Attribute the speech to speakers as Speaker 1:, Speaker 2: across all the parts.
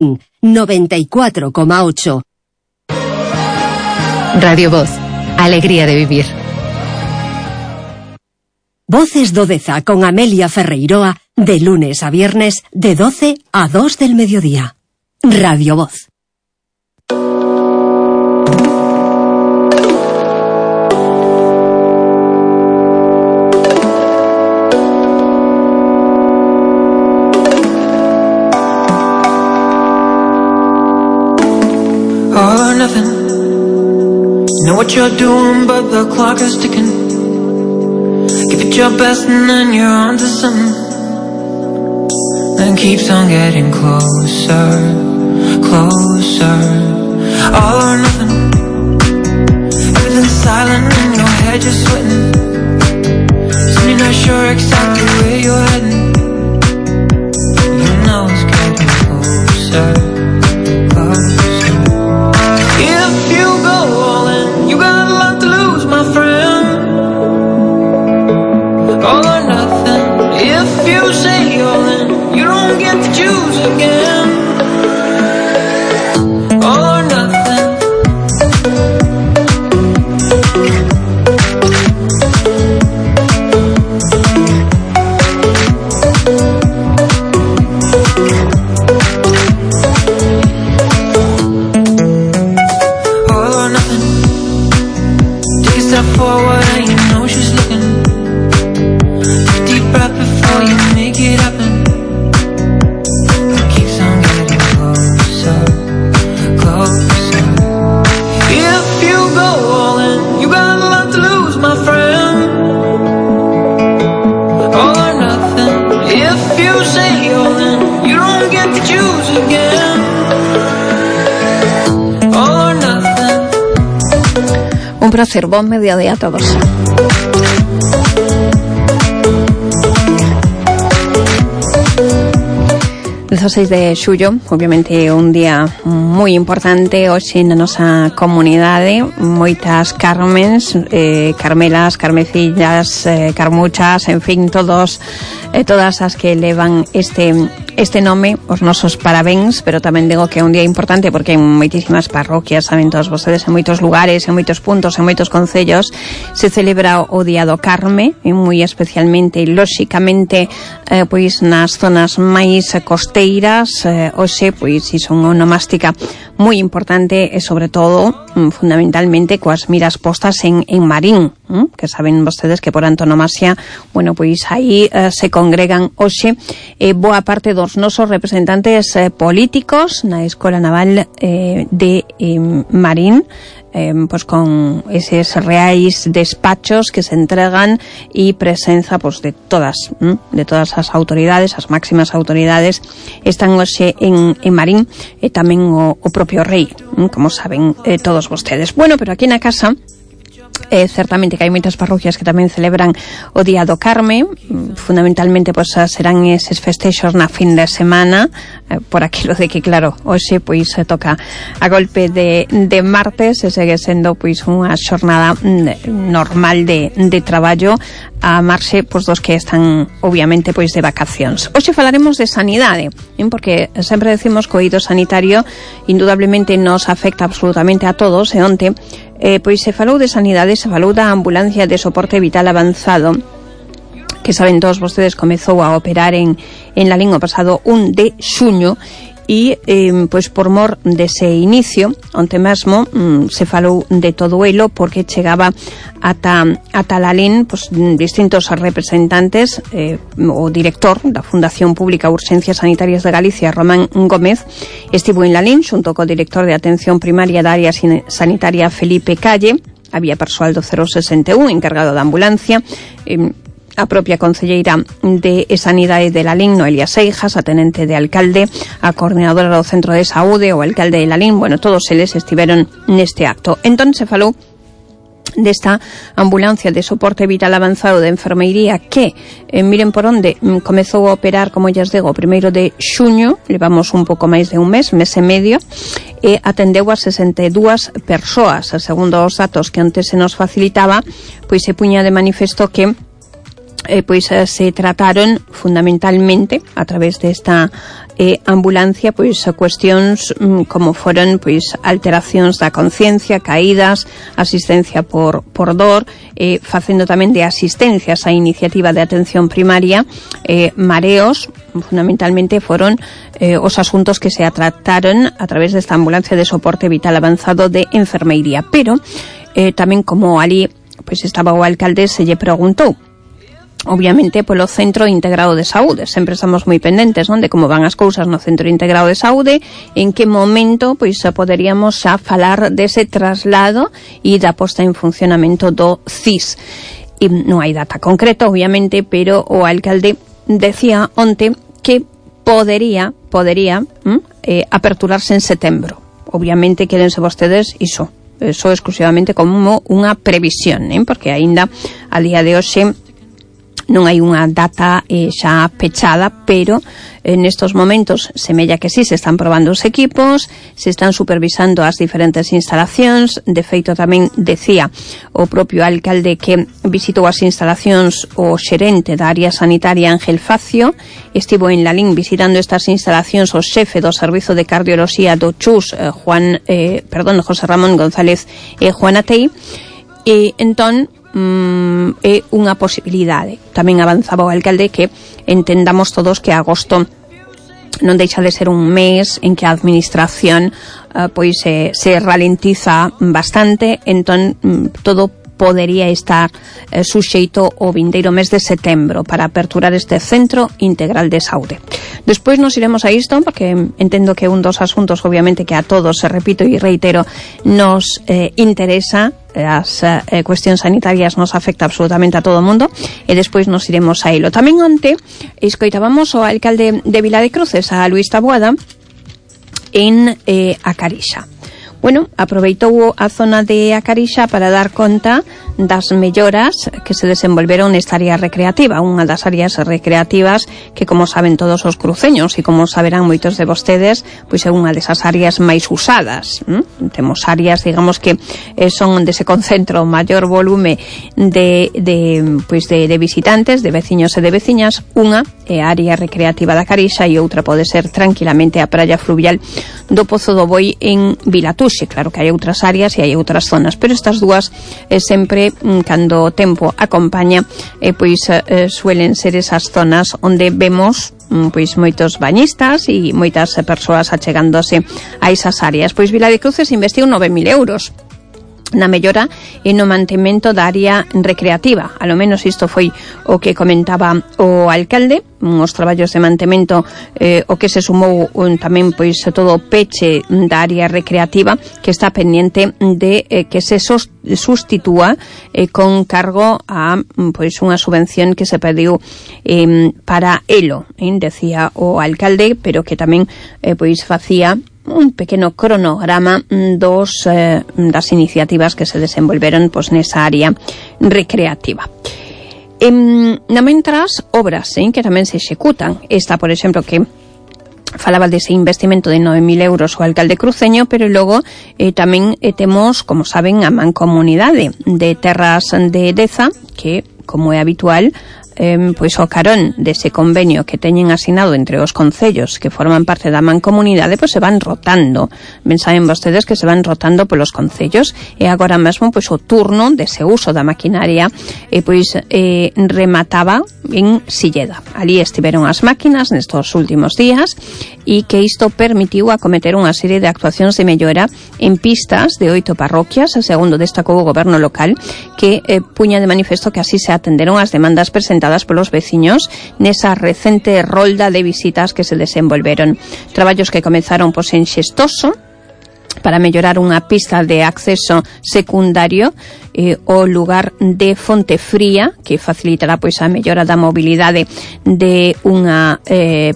Speaker 1: 94,8.
Speaker 2: Radio Voz, alegría de vivir.
Speaker 1: Voces do Deza con Amelia Ferreiroa, de lunes a viernes, de 12 a 2 del mediodía. Radio Voz.
Speaker 3: All or nothing. You know what you're doing, but the clock is ticking. Give it your best and then you're onto something. And keeps on getting closer, closer. All or nothing. Everything's silent and your head just sweating. So you're not sure exactly where you're heading. You know it's getting closer, closer. If you go all in, you got a lot to lose, my friend. All or nothing. If you say all in, you don't get to choose again. All or nothing. All or nothing. Take a step forward and you know she's looking. Take a deep breath before you make it happen. It keeps on getting closer, closer. If you go all in, you got a lot to lose, my friend. All or nothing. If you say all in, you don't get to choose again. All or nothing.
Speaker 4: Un placer, buen mediodía a todos. El 16 de xullo, obviamente un día moi importante hoxe na nosa comunidade. Moitas Carmens, Carmelas, Carmecillas, Carmuchas, en fin, todas as que levan este nome, os nosos parabéns, pero tamén digo que é un día importante porque en moitísimas parroquias, saben todos vostedes, en moitos lugares, en moitos puntos, en moitos concellos se celebra o Día do Carme, e moi especialmente, lóxicamente, pois nas zonas máis costeiras, hoxe, pois, iso unha onomástica moi importante e, sobre todo, fundamentalmente, coas miras postas en Marín, que saben vostedes que por antonomasia, bueno, pois aí se congregan hoxe boa parte dos nosos representantes políticos na Escola Naval de Marín, pues con eses reais despachos que se entregan e presenza pues de todas as autoridades, as máximas autoridades están hoxe en Marín, e tamén o propio rei, como saben todos vostedes. Bueno, pero aquí na casa certamente que hai moitas parroquias que tamén celebran o Día do Carme. Fundamentalmente pois serán eses festexos na fin de semana, por aquilo de que claro, hoxe pois se toca a golpe de martes e segue sendo pois unha xornada normal de traballo a marxe pois dos que están obviamente pois de vacacións. Hoxe falaremos de sanidade, porque sempre decimos que o eido sanitario indudablemente nos afecta absolutamente a todos, e onte pois se falou de sanidade, se falou da ambulancia de soporte vital avanzado, que saben todos vostedes comezou a operar en Lalín o pasado 1 de xuño, e pois por mor dese inicio onte mesmo se falou de todo elo, porque chegaba ata Lalín pois distintos representantes. O director da Fundación Pública Urxencias Sanitarias de Galicia, Román Gómez, estivo en Lalín xunto co director de Atención Primaria da Área Sanitaria, Felipe Calle. Había persoal do 061 encargado da ambulancia, a propia concelleira de Sanidade de Lalín, Noelia Seijas, a tenente de alcalde, a coordinadora do Centro de Saúde, o alcalde de Lalín. Bueno, todos eles estiveron neste acto. Entón se falou desta ambulancia de soporte vital avanzado de enfermeiría que, miren por onde, comezou a operar, como lles digo, o 1 de xuño, levamos un pouco máis de un mes e medio, e atendeu a 62 persoas. Segundo os datos que antes se nos facilitaba, pois se puña de manifesto que pois se trataron fundamentalmente a través desta ambulancia pois cuestións como foron pois alteracións da conciencia, caídas, asistencia por dor, facendo tamén de asistencias á iniciativa de atención primaria, mareos, fundamentalmente foron os asuntos que se trataron a través desta ambulancia de soporte vital avanzado de enfermeiría. Pero tamén como ali pois estaba o alcalde, se lle preguntou obviamente polo Centro Integrado de Saúde. Sempre estamos moi pendentes, non, de como van as cousas no Centro Integrado de Saúde, en que momento pois poderíamos xa falar dese traslado e da posta en funcionamento do CIS. E non hai data concreta, obviamente, pero o alcalde decía onte que podería aperturarse en setembro. Obviamente quédense vostedes iso exclusivamente como unha previsión, porque aínda a día de hoxe non hai unha data xa pechada, pero nestos momentos semella que sí, se están probando os equipos, se están supervisando as diferentes instalacións. De feito tamén decía o propio alcalde que visitou as instalacións o xerente da área sanitaria Ángel Facio, estivo en Lalín visitando estas instalacións o xefe do Servizo de Cardioloxía do CHUS, José Ramón González Juanatei, e entón é unha posibilidade. Tamén avanzaba o alcalde que entendamos todos que agosto non deixa de ser un mes en que a administración pois se ralentiza bastante, entón todo podería estar suxeito o vindeiro mes de setembro para aperturar este Centro Integral de Saúde. Despois nos iremos a isto, porque entendo que un dos asuntos, obviamente, que a todos, repito e reitero, nos interesa. As cuestións sanitarias nos afecta absolutamente a todo o mundo, e despois nos iremos a ilo. Tamén onte escoitábamos o alcalde de Vila de Cruces, a Luís Taboada, en A Carixa. Bueno, aproveitou a zona de A Carixa para dar conta das melloras que se desenvolveron nesta área recreativa, unha das áreas recreativas que, como saben todos os cruceños e como saberán moitos de vostedes, pois é unha desas áreas máis usadas. Temos áreas, digamos, que son onde se concentra o maior volume de visitantes, de veciños e de veciñas. Unha é a área recreativa da Carixa e outra pode ser tranquilamente a praia fluvial do Pozo do Boi en Vilatuxe. Claro que hai outras áreas e hai outras zonas, pero estas dúas sempre, cando o tempo acompaña, suelen ser esas zonas onde vemos pois moitos bañistas e moitas persoas achegándose a esas áreas. Pois Vila de Cruces investiu 9.000 euros na mellora e no mantemento da área recreativa. A lo menos isto foi o que comentaba o alcalde. Os traballos de mantemento, o que se sumou tamén pois todo o peche da área recreativa, que está pendiente de que se sustitúa con cargo a pois unha subvención que se pediu para elo, decía o alcalde, pero que tamén pois facía un pequeno cronograma das iniciativas que se desenvolveron pois nesa área recreativa. Na mentras, obras que tamén se executan. Esta, por exemplo, que falaba dese investimento de 9.000 euros o alcalde cruceño, pero logo tamén temos, como saben, a mancomunidade de terras de Deza, que, como é habitual, pois o carón dese convenio que teñen asinado entre os concellos que forman parte da mancomunidade, pois se van rotando. Ben saben vostedes que se van rotando polos concellos, e agora mesmo pois o turno dese uso da maquinaria remataba en Silleda. Ali estiveron as máquinas nestos últimos días, e que isto permitiu acometer unha serie de actuacións de mellora en pistas de 8 parroquias, segundo destacou o goberno local, que puña de manifesto que así se atenderon as demandas presentadas polos veciños nesa recente rolda de visitas que se desenvolveron. Traballos que comezaron en Xestoso para mellorar unha pista de acceso secundario o lugar de Fonte Fría, que facilitará pois a mellora da mobilidade de unha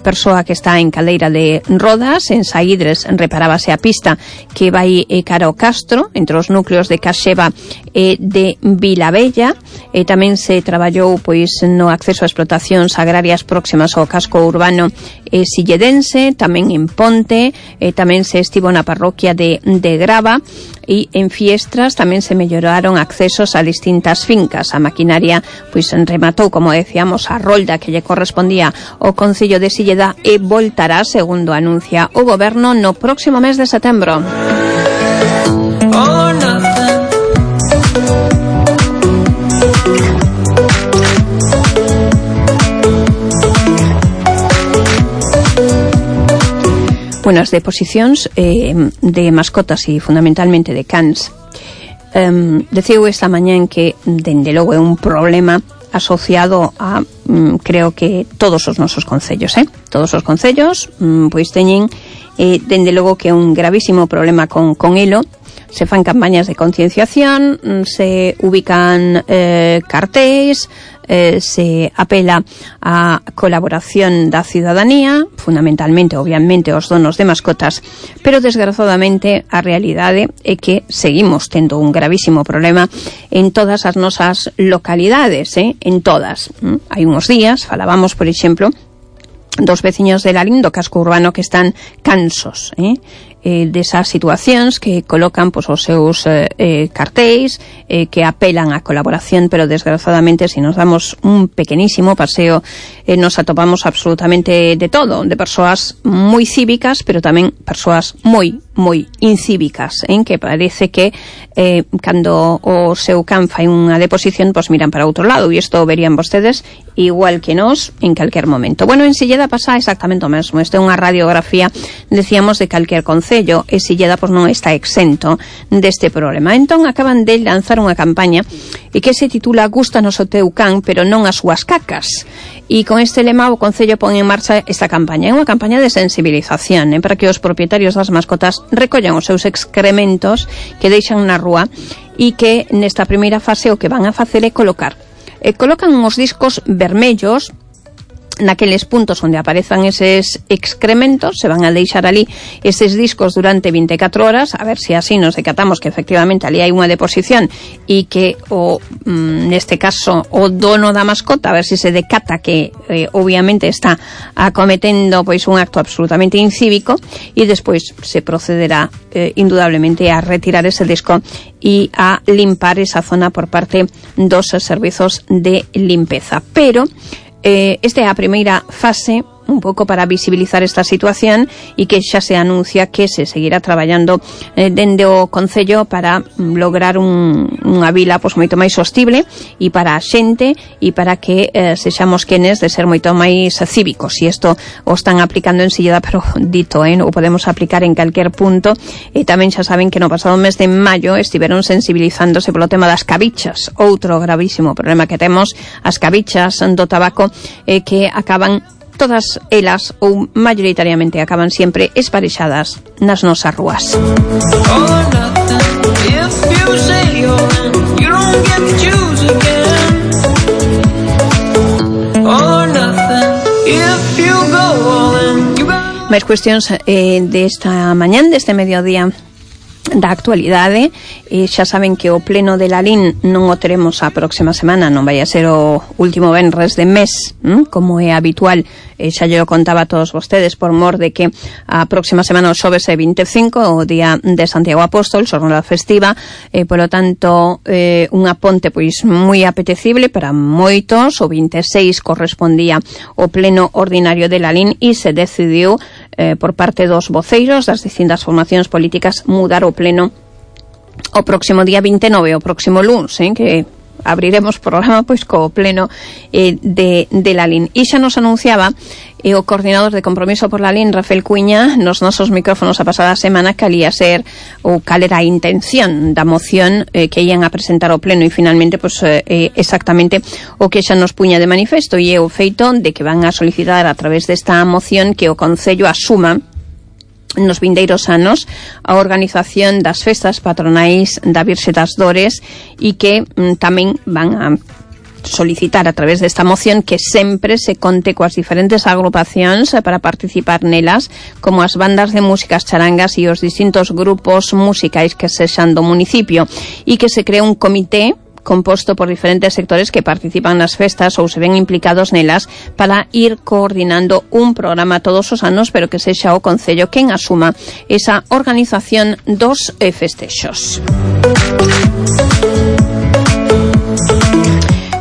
Speaker 4: persoa que está en cadeira de rodas. En Saídres reparábase a pista que vai cara ao Castro, entre os núcleos de Caxeva e de Vilabella. Tamén se traballou pois no acceso a explotacións agrarias próximas ao casco urbano silledense, tamén en Ponte, tamén se estivo na parroquia de Grava, e en Fiestras tamén se melloraron accesos a distintas fincas. A maquinaria pois rematou, como decíamos, a rolda que lle correspondía ao Concello de Silleda e voltará, segundo anuncia o Goberno, no próximo mes de setembro. Bueno, as deposicións de mascotas e fundamentalmente de cans deciu esta mañá que dende logo é un problema asociado a creo que todos os nosos concellos, todos os concellos pois teñen dende logo que é un gravísimo problema con elo. Se fan campañas de concienciación, se ubican cartéis, se apela a colaboración da ciudadanía, fundamentalmente, obviamente, os donos de mascotas, pero desgraciadamente a realidade é que seguimos tendo un gravísimo problema en todas as nosas localidades, en todas. Hai uns días falábamos, por exemplo, dos veciños de Lalín, do casco urbano, que están cansos desas situacións, que colocan pois, os seus cartéis, que apelan á colaboración, pero desgraciadamente, se nos damos un pequenísimo paseo, nos atopamos absolutamente de todo, de persoas moi cívicas, pero tamén persoas moi incívicas, que parece que cando o seu can fai unha deposición, pois miran para outro lado, e isto verían vostedes igual que nós en calquer momento. Bueno, en Silleda pasa exactamente o mesmo. Isto é unha radiografía, decíamos, de calquer concello, e Silleda pois non está exento deste problema. Entón acaban de lanzar unha campaña e que se titula Gústanos o teu can, pero non as súas cacas. E con este lema o concello pon en marcha esta campaña. É unha campaña de sensibilización para que os propietarios das mascotas recollan os seus excrementos que deixan na rúa, e que nesta primeira fase o que van a facer é colocan uns discos vermellos naqueles puntos onde aparezan eses excrementos. Se van a deixar ali eses discos durante 24 horas, a ver se así nos decatamos que efectivamente ali hai unha deposición e que neste caso o dono da mascota, a ver se se decata que obviamente está acometendo pois un acto absolutamente incívico, e despois se procederá indudablemente a retirar ese disco e a limpar esa zona por parte dos servizos de limpeza. Pero esta é a primeira fase, un pouco para visibilizar esta situación, e que xa se anuncia que se seguirá traballando dende o Concello para lograr unha vila pois moito máis sostible e para a xente, e para que sexamos quenes de ser moito máis cívicos. E isto o están aplicando en Silleda, pero dito, o podemos aplicar en calquer punto. E tamén xa saben que no pasado mes de maio estiveron sensibilizándose polo tema das cabichas, outro gravísimo problema que temos, as cabichas do tabaco, que acaban todas elas, ou maioritariamente acaban sempre esparexadas nas nosas rúas. Máis cuestións desta mañán, deste mediodía da actualidade. Xa saben que o pleno de Lalín non o teremos a próxima semana, non vai a ser o último venres de mes, como é habitual. Xa lle contaba a todos vostedes por mor de que a próxima semana o xoves é 25, o día de Santiago Apóstol, xornada festiva, polo tanto unha ponte pois moi apetecible para moitos. O 26 correspondía o pleno ordinario de Lalín e se decidiu por parte dos voceiros das distintas formacións políticas mudar o pleno o próximo día 29, o próximo luns, que abriremos programa pois co pleno de Lalín. E xa nos anunciaba o coordinador de Compromiso por Lalín, Rafael Cuiña, nos nosos micrófonos a pasada semana, que alía ser ou cal era a intención da moción que ian a presentar ao pleno, e finalmente pois exactamente o que xa nos puña de manifesto, e é o feito de que van a solicitar a través desta moción que o Concello asuma nos vindeiros anos a organización das festas patronais da Virxe das Dores, e que tamén van a solicitar a través desta moción que sempre se conte coas diferentes agrupacións para participar nelas, como as bandas de músicas charangas e os distintos grupos musicais que sexan do municipio, e que se cree un comité composto por diferentes sectores que participan nas festas ou se ven implicados nelas para ir coordinando un programa todos os anos, pero que sexa o Concello quen asuma esa organización dos festexos.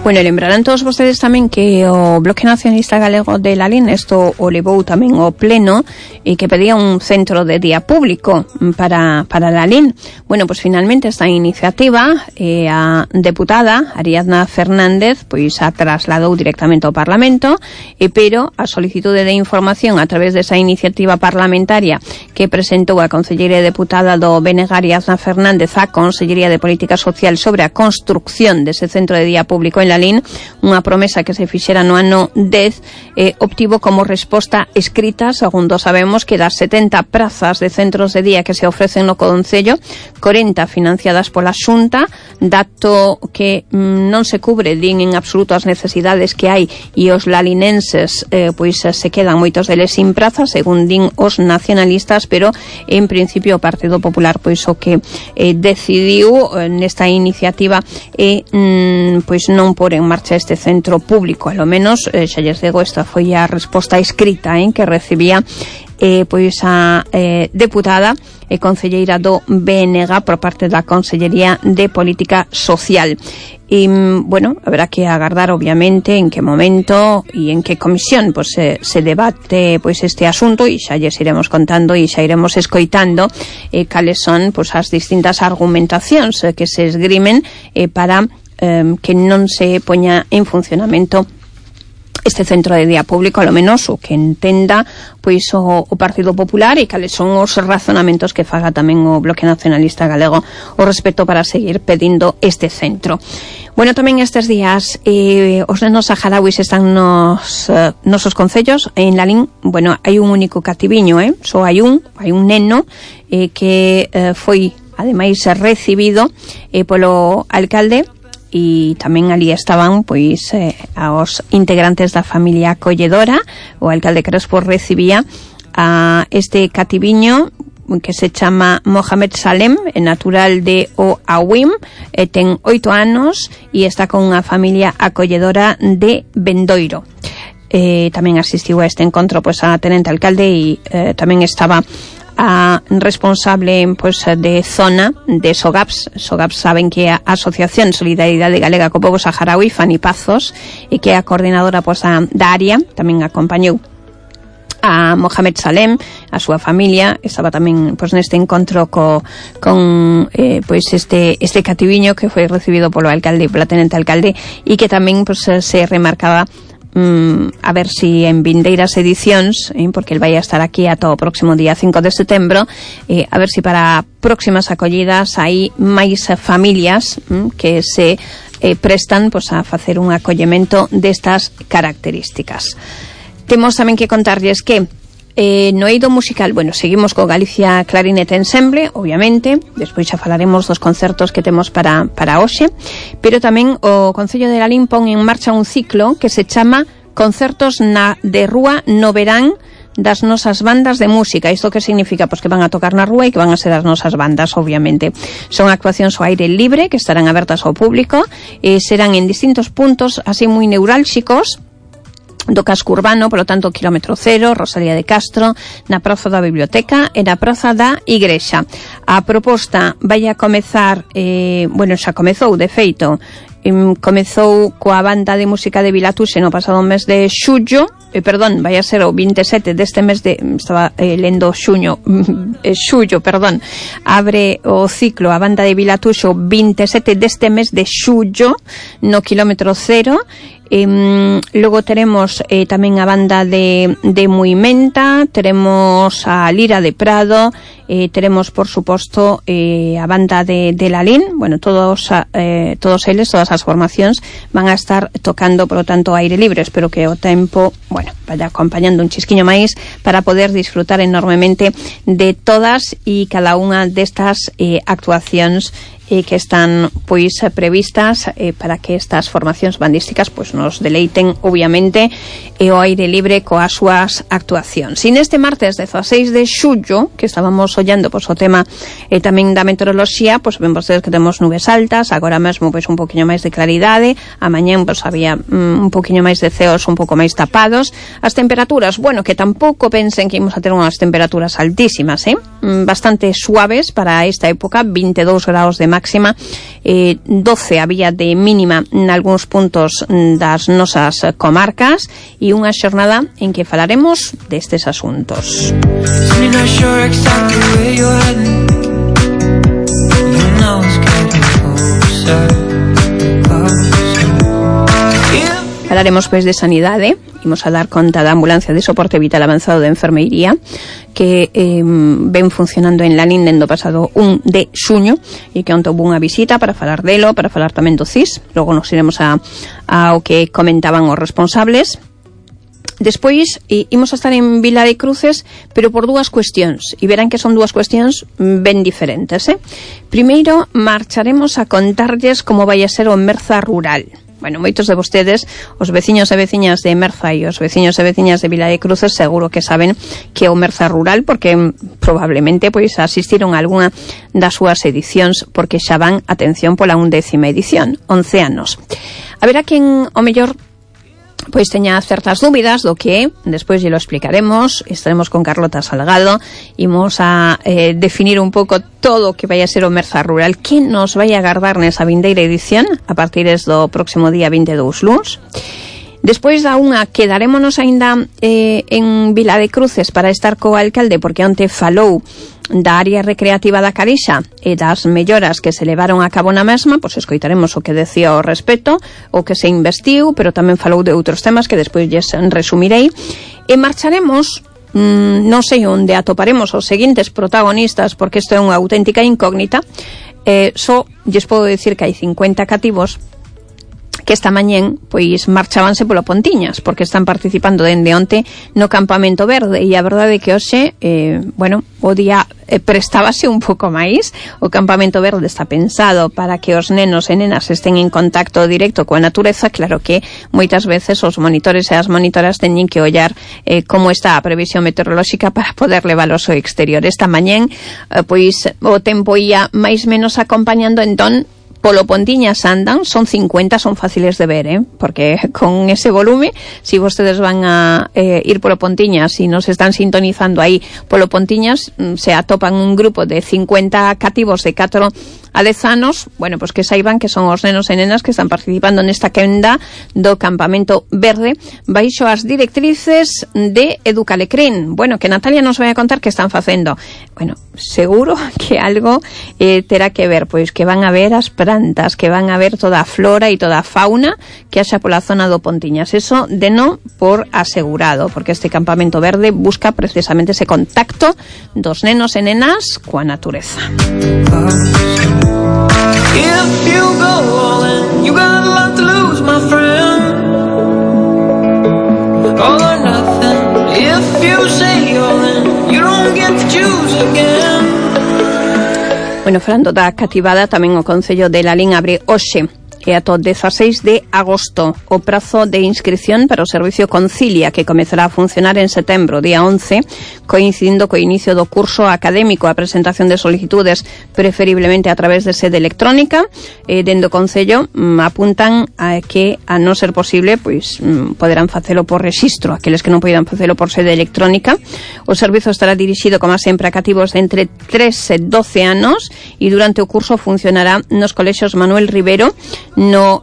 Speaker 4: Bueno, lembrarán todos vostedes tamén que o Bloque Nacionalista Galego de Lalín isto o levou tamén o pleno e que pedía un centro de día público para Lalín. Bueno, pues finalmente esta iniciativa a deputada Ariadna Fernández pois a trasladou directamente ao Parlamento, pero a solicitude de información a través desa iniciativa parlamentaria que presentou a concelleira e deputada do BNG Ariadna Fernández á Consellería de Política Social sobre a construcción dese centro de día público en Lalín, unha promesa que se fixera no ano 10, obtivo como resposta escrita, segundo sabemos, que das 70 prazas de centros de día que se ofrecen no Concello, 40 financiadas pola Xunta, dato que non se cubre din en absoluto as necesidades que hai e os lalinenses pois se quedan moitos deles sin praza, según din os nacionalistas, pero en principio o Partido Popular pois o que decidiu nesta iniciativa pois non por en marcha este centro público, a lo menos xa lles digo, esta foi a resposta escrita que recibía pois a deputada e concelleira do BNG por parte da Consellería de Política Social. E, bueno, habrá que agardar obviamente en que momento e en que comisión pois se debate pois este asunto, e xa lles iremos contando e xa iremos escoitando cales son pois as distintas argumentacións que se esgrimen para que non se poña en funcionamento este centro de día público, ao menos o que entenda pois o Partido Popular, e cales son os razonamentos que faga tamén o Bloque Nacionalista Galego o respecto para seguir pedindo este centro. Bueno, tamén estes días os nenos saharauis están nos nosos concellos. En Lalín, bueno, hai un único cativiño, só hai un neno que foi ademais recibido polo alcalde, e tamén ali estaban pois aos integrantes da familia acolledora. O alcalde Crespo recibía a este cativiño que se chama Mohamed Salem, natural de Oawim, ten 8 anos e está con unha familia acolledora de Bendoiro. Tamén asistiu a este encontro pois a tenente alcalde e tamén estaba a responsable pois de zona de SOGAPS. SOGAPS saben que é a Asociación Solidaridade Galega co Pobo Saharaui, Fanny Pazos, e que é a coordinadora pois da área. Tamén acompañou a Mohamed Salem, a súa familia. Estaba tamén pois neste encontro con pois este cativiño que foi recibido polo alcalde e pola tenente alcalde, e que tamén pois se remarcaba a ver si en vindeiras edicións, porque el vai a estar aquí ata o próximo día 5 de setembro, a ver si para próximas acollidas hai máis familias que se prestan pois a facer un acollemento destas características. Temos tamén que contarlles que no eido musical, bueno, seguimos co Galicia Clarinet Ensemble, obviamente, despois xa falaremos dos concertos que temos para hoxe, pero tamén o Concello de Lalín pon en marcha un ciclo que se chama Concertos de Rúa no Verán das nosas bandas de música. Isto que significa? Pois que van a tocar na rúa e que van a ser as nosas bandas, obviamente. Son actuacións ao aire libre que estarán abertas ao público e serán en distintos puntos así moi neurálxicos do casco urbano, polo tanto, Kilómetro Cero, Rosalía de Castro, na Praza da Biblioteca e na Praza da Igrexa. A proposta vai a comezar, bueno, xa comezou, de feito, comezou coa banda de música de Vilatuxe no pasado mes de xullo, vai a ser o 27 deste mes de, estaba lendo xullo, abre o ciclo a banda de Vilatuxe o 27 deste mes de xullo no Kilómetro Cero. Logo teremos tamén a banda de Muimenta, teremos a Lira de Prado, teremos por suposto a banda de Lalín. Bueno, todos eles, todas as formacións van a estar tocando, por lo tanto, aire libre. Espero que o tempo, bueno, vaya acompañando un chisquiño máis para poder disfrutar enormemente de todas e cada unha destas actuacións e que están pois previstas para que estas formacións bandísticas pois nos deleiten obviamente e ao aire libre coas súas actuacións. E neste martes 16 de xullo, que estábamos ollando pois o tema tamén da meteoroloxía, pois ven vostedes que temos nubes altas, agora mesmo pois un poquinho máis de claridade, amañén pois había un poquinho máis de ceos un pouco máis tapados. As temperaturas, bueno, que tampouco pensen que imos a ter unhas temperaturas altísimas, bastante suaves para esta época, 22 graus de máxima, 12 había de mínima nalgúns puntos das nosas comarcas, e unha xornada en que falaremos destes asuntos. Falaremos pois de sanidade, imos a dar conta da ambulancia de soporte vital avanzado de enfermeiría que ven funcionando en Lalín dende o pasado 1 de xuño e que onte houve unha visita para falar delo, para falar tamén do CIS. Logo nos iremos ao que comentaban os responsables. Despois imos a estar en Vila de Cruces, pero por dúas cuestións, e verán que son dúas cuestións ben diferentes. Primeiro, marcharemos a contarlles como vai a ser o Merza rural. Bueno, moitos de vostedes, os veciños e veciñas de Merza e os veciños e veciñas de Vila de Cruces seguro que saben que é o Merza rural, porque probablemente pois asistiron a algunha das súas edicións, porque xa van, atención, pola 11ª edición, 11 anos. Haberá quen, o mellor, pois teña certas dúbidas do que despois lle lo explicaremos. Estaremos con Carlota Salgado, imos a definir un pouco todo o que vai a ser o Merza rural, que nos vai a agardar nesa vindeira edición a partir do próximo día 22 luns. Despois da unha quedarémonos aínda en Vila de Cruces para estar co alcalde, porque onte falou da área recreativa da Carixa e das melloras que se levaron a cabo na mesma. Pois escoitaremos o que decía ao respecto, o que se investiu, pero tamén falou de outros temas que despois lles resumirei. E marcharemos, non sei onde atoparemos os seguintes protagonistas, porque isto é unha auténtica incógnita. Só lles podo dicir que hai 50 cativos que esta mañén pois marchábanse polo Pontiñas, porque están participando dende onte no campamento verde, e a verdade é que hoxe o día prestábase un pouco máis. O campamento verde está pensado para que os nenos e nenas estén en contacto directo coa natureza. Claro que moitas veces os monitores e as monitoras teñen que ollar como está a previsión meteorolóxica para poder levalos ao exterior. Esta mañén pois o tempo ia máis menos acompañando, entón polo Pontiñas andan, son 50, son fáciles de ver, porque con ese volume, si vostedes van a ir polo Pontiñas e nos están sintonizando aí polo Pontiñas, se atopan un grupo de 50 cativos de 4 a 10 anos, bueno, pues que saiban que son os nenos e nenas que están participando nesta quenda do campamento verde baixo as directrices de Educalecrín. Bueno, que Natalia nos vai a contar que están facendo. Bueno, seguro que algo terá que ver, pois que van a ver as plantas, que van a ver toda a flora e toda a fauna que haxa pola zona do Pontiñas. Eso de non por asegurado, porque este campamento verde busca precisamente ese contacto dos nenos e nenas coa natureza.
Speaker 3: If you go all in, you got a lot to lose, my friend. All or nothing. If you say all in, you don't get to choose again.
Speaker 4: Bueno, falando da cativada, tamén o Concello de Lalín abre hoxe e ata o 16 de agosto o prazo de inscripción para o servicio Concilia, que comezará a funcionar en setembro, día 11, coincidindo co inicio do curso académico. A presentación de solicitudes preferiblemente a través de sede electrónica. Dende o Concello apuntan a que, a non ser posible, pois poderán facelo por rexistro, aqueles que non poidan facelo por sede electrónica. O servizo estará dirixido, como sempre, a cativos de entre 3 e 12 anos e durante o curso funcionará nos colexios Manuel Rivero, no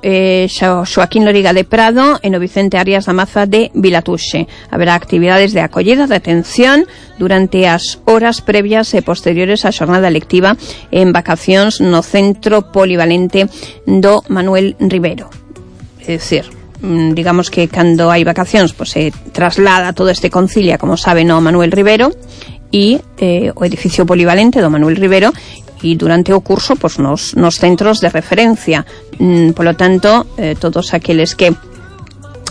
Speaker 4: Xoaquín Loriga de Prado e no Vicente Arias da Maza de Vilatuxe. Haberá actividades de acollida, de atención durante as horas previas e posteriores á xornada lectiva en vacacións no Centro Polivalente do Manuel Rivero. É dicir, digamos que cando hai vacacións pois se traslada todo este Concilia, como sabe, no Manuel Rivero e o edificio polivalente do Manuel Rivero, e durante o curso pois nos centros de referencia. Polo tanto, todos aqueles que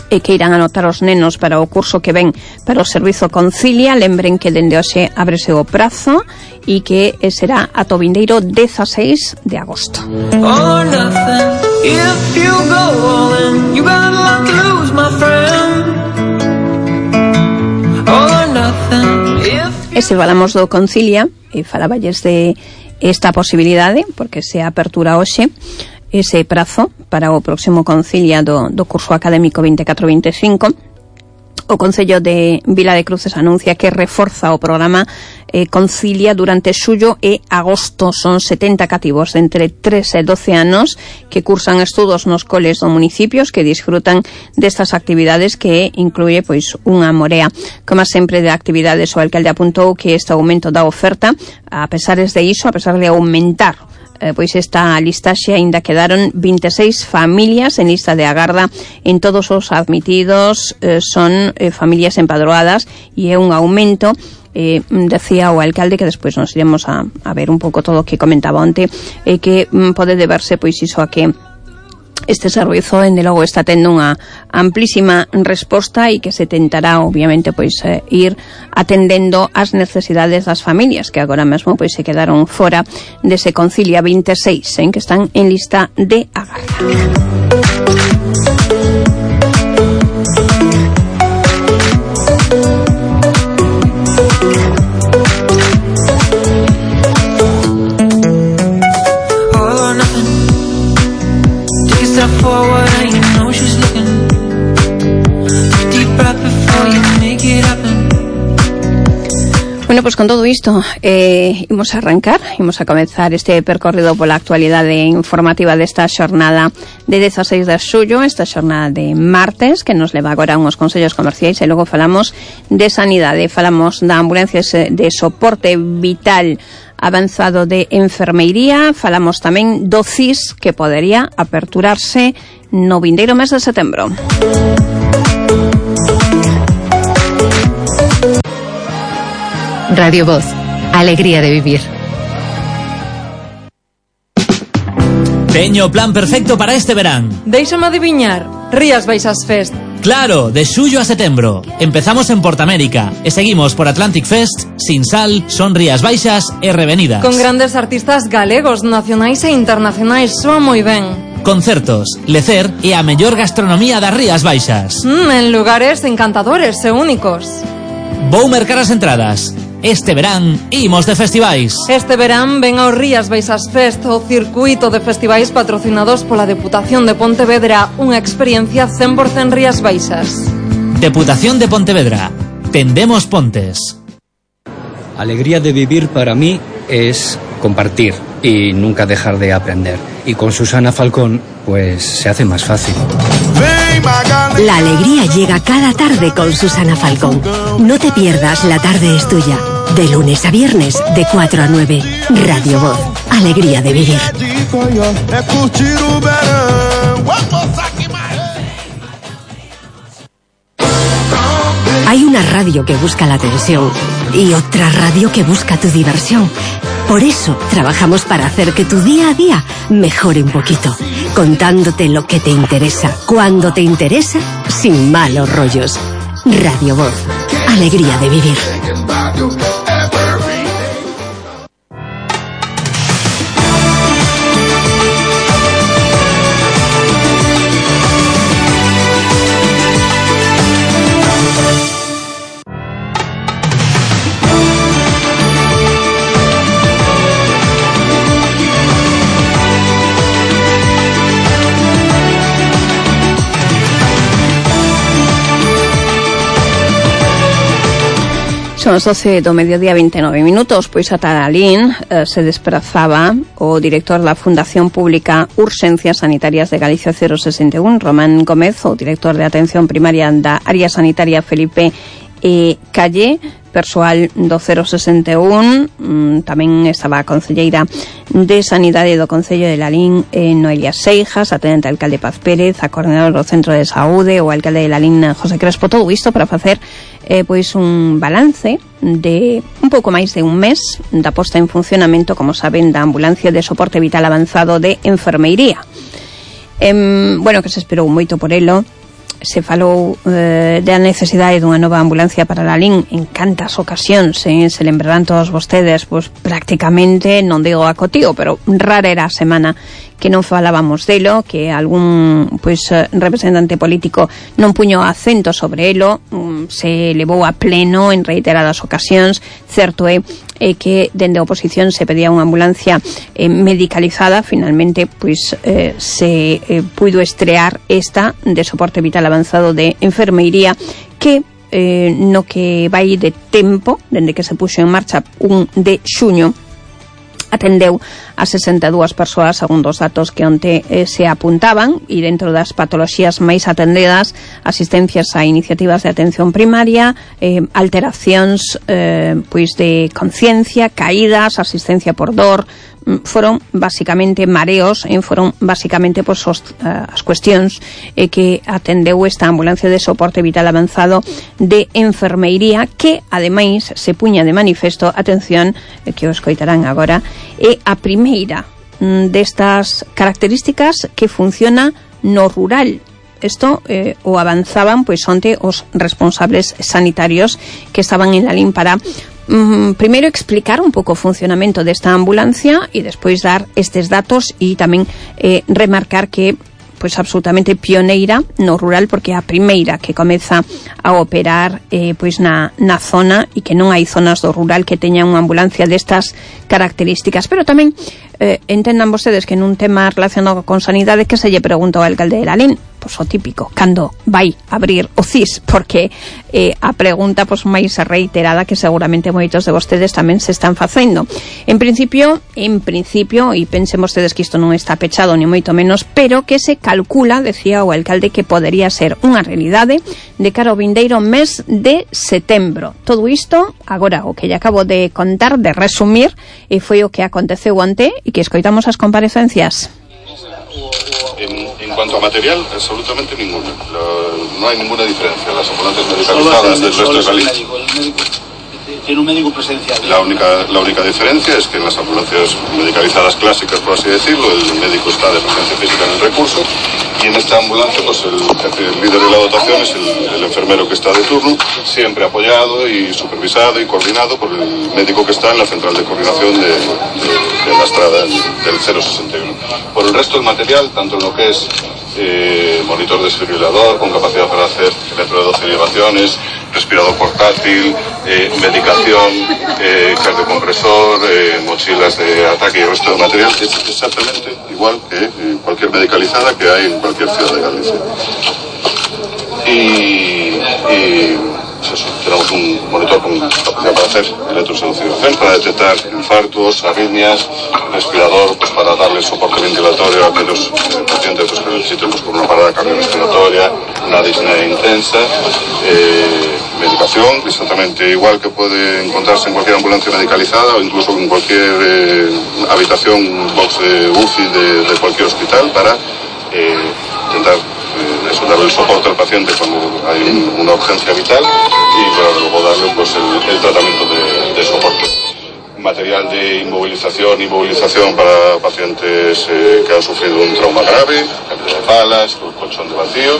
Speaker 4: e que irán anotar os nenos para o curso que ven para o servizo Concilia. Lembren que dende hoxe ábrese o prazo e que será ata o vindeiro 16 de agosto.
Speaker 3: All or nothing. If you go all in, you got a lot to lose, my friend. All or nothing.
Speaker 4: E se falamos do Concilia, e falaballes de esta posibilidade, porque se apertura hoxe ese prazo para o próximo Concilia do curso académico 24-25, o Concello de Vila de Cruces anuncia que reforza o programa Concilia durante xullo e agosto. Son 70 cativos de entre 3 e 12 anos que cursan estudos nos coles do municipios que disfrutan destas actividades, que incluye pois unha morea. Como sempre de actividades, o alcalde apuntou que este aumento da oferta, a pesar de aumentar pois esta listaxe, aínda quedaron 26 familias en lista de agarda. En todos os admitidos son familias empadroadas e é un aumento. Decía o alcalde, que despois nos iremos a ver un pouco todo o que comentaba onte, que pode deberse pois iso a que este servizo, dende logo, está tendo unha amplísima resposta e que se tentará, obviamente, pois ir atendendo as necesidades das familias que agora mesmo pois se quedaron fora dese Concilia 26, que están en lista de agarda.
Speaker 3: Forward and you know she's looking. Deep breath before you make it happen.
Speaker 4: Bueno, pues con todo isto imos a comenzar este percorrido pola actualidade informativa desta xornada de 16 de xullo, esta xornada de martes, que nos leva agora a uns consellos comerciais, e logo falamos de sanidade, falamos da ambulancia de soporte vital avanzado de enfermeiría, falamos tamén do CIS, que podería aperturarse no vindeiro mes de setembro.
Speaker 2: Radio Voz, alegría de vivir.
Speaker 5: Teño o plan perfecto para este verán.
Speaker 6: Déixame adiviñar, Rías Baixas Fest.
Speaker 5: Claro, de xullo a setembro. Empezamos en Portamérica e seguimos por Atlantic Fest, Sinsal, Son Rías Baixas e Revenidas.
Speaker 6: Con grandes artistas galegos, nacionais e internacionais, soa moi ben.
Speaker 5: Concertos, lecer e a mellor gastronomía das Rías Baixas.
Speaker 6: En lugares encantadores e únicos.
Speaker 5: Vou mercar as entradas. Este verán imos de festivais.
Speaker 6: Este verán ven ao Rías Baixas Fest, o circuito de festivais patrocinados pola Deputación de Pontevedra, unha experiencia 100% Rías Baixas.
Speaker 5: Deputación de Pontevedra. Tendemos pontes.
Speaker 7: Alegría de vivir para mí es compartir y nunca dejar de aprender. Y con Susana Falcón, pues se hace más fácil.
Speaker 1: La alegría llega cada tarde con Susana Falcón. No te pierdas La Tarde es Tuya. De lunes a viernes, de 4 a 9. Radio Voz. Alegría de vivir. Hay una radio que busca la atención y otra radio que busca tu diversión. Por eso trabajamos para hacer que tu día a día mejore un poquito, contándote lo que te interesa, cuando te interesa, sin malos rollos. Radio Voz, alegría de vivir.
Speaker 4: Son as 12 do mediodía 29 minutos, pois ata alín se desprazaba o director da Fundación Pública Urxencias Sanitarias de Galicia 061, Román Gómez, o director de Atención Primaria da Área Sanitaria Felipe Calle, persoal do 061, tamén estaba a concelleira de Sanidade do Concello de Lalín, Noelia Seijas, a tenente alcalde Paz Pérez, a coordinador do Centro de Saúde, o alcalde de Lalín, José Crespo, todo isto para facer pois un balance de un pouco máis de un mes da posta en funcionamento, como saben, da ambulancia de soporte vital avanzado de enfermeiría. Bueno, que se esperou moito por elo, se falou da necesidade dunha nova ambulancia para Lalín en cantas ocasións, se lembrarán todos vostedes, pois prácticamente, non digo a cotío, pero rara era a semana que non falábamos delo, que algún representante político non puño acento sobre elo, se levou a pleno en reiteradas ocasións. Certo é que dende a oposición se pedía unha ambulancia medicalizada. Finalmente se puido estrear esta de soporte vital avanzado de enfermeiría, que no que vai de tempo dende que se puxo en marcha 1 de xuño atendeu a 62 persoas, segundo os datos que onte se apuntaban, e dentro das patoloxías máis atendidas, asistencias a iniciativas de atención primaria, alteracións de conciencia, caídas, asistencia por dor, foron basicamente mareos, foron basicamente as cuestións que atendeu esta ambulancia de soporte vital avanzado de enfermeiría, que ademais se puña de manifesto, atención, que o escoitarán agora, é a primeira destas características que funciona no rural. Isto o avanzaban onte os responsables sanitarios que estaban en Lalín para primeiro explicar un pouco o funcionamento desta ambulancia e despois dar estes datos e tamén remarcar que absolutamente pioneira no rural, porque é a primeira que comeza a operar na zona, e que non hai zonas do rural que teñan unha ambulancia destas características. Pero tamén entendan vostedes que nun tema relacionado con sanidade, que se lle preguntou ao alcalde de Lalín, o típico, cando vai abrir o CIS, porque a pregunta máis reiterada que seguramente moitos de vostedes tamén se están facendo. En principio, e pensen vostedes que isto non está pechado ni moito menos, pero que se calcula, decía o alcalde, que podería ser unha realidade de cara ao vindeiro mes de setembro. Todo isto, agora, o que lle acabo de contar, de resumir, foi o que aconteceu onte, e que escoitamos as comparecencias.
Speaker 8: En cuanto a material, absolutamente ninguna. No hay ninguna diferencia. Las ambulancias medicalizadas del resto de Lalín.
Speaker 9: Tiene un médico presencial.
Speaker 8: La única diferencia es que en las ambulancias medicalizadas clásicas, por así decirlo, el médico está de presencia física en el recurso, y en esta ambulancia el líder de la dotación es el enfermero que está de turno, siempre apoyado y supervisado y coordinado por el médico que está en la central de coordinación de la estrada del 061. Por el resto del material, tanto en lo que es monitor desfibrilador con capacidad para hacer electro de 12 elevaciones, respirador portátil, medicación, cardiocompresor, mochilas de ataque y el resto de material es exactamente igual que cualquier medicalizada que hay en cualquier ciudad de Galicia. Tenemos un monitor con capacidad para hacer electroseducción, para detectar infartos, arritmias, respirador para darle soporte ventilatorio a aquellos pacientes que necesiten por una parada cardiorrespiratoria, una disnea intensa, medicación exactamente igual que puede encontrarse en cualquier ambulancia medicalizada o incluso en cualquier habitación, box de UCI de cualquier hospital, para intentar darle el soporte al paciente cuando hay una urgencia vital y para luego darle el tratamiento de soporte. Material de inmovilización para pacientes que han sufrido un trauma grave, camilla de palas, colchón de vacío,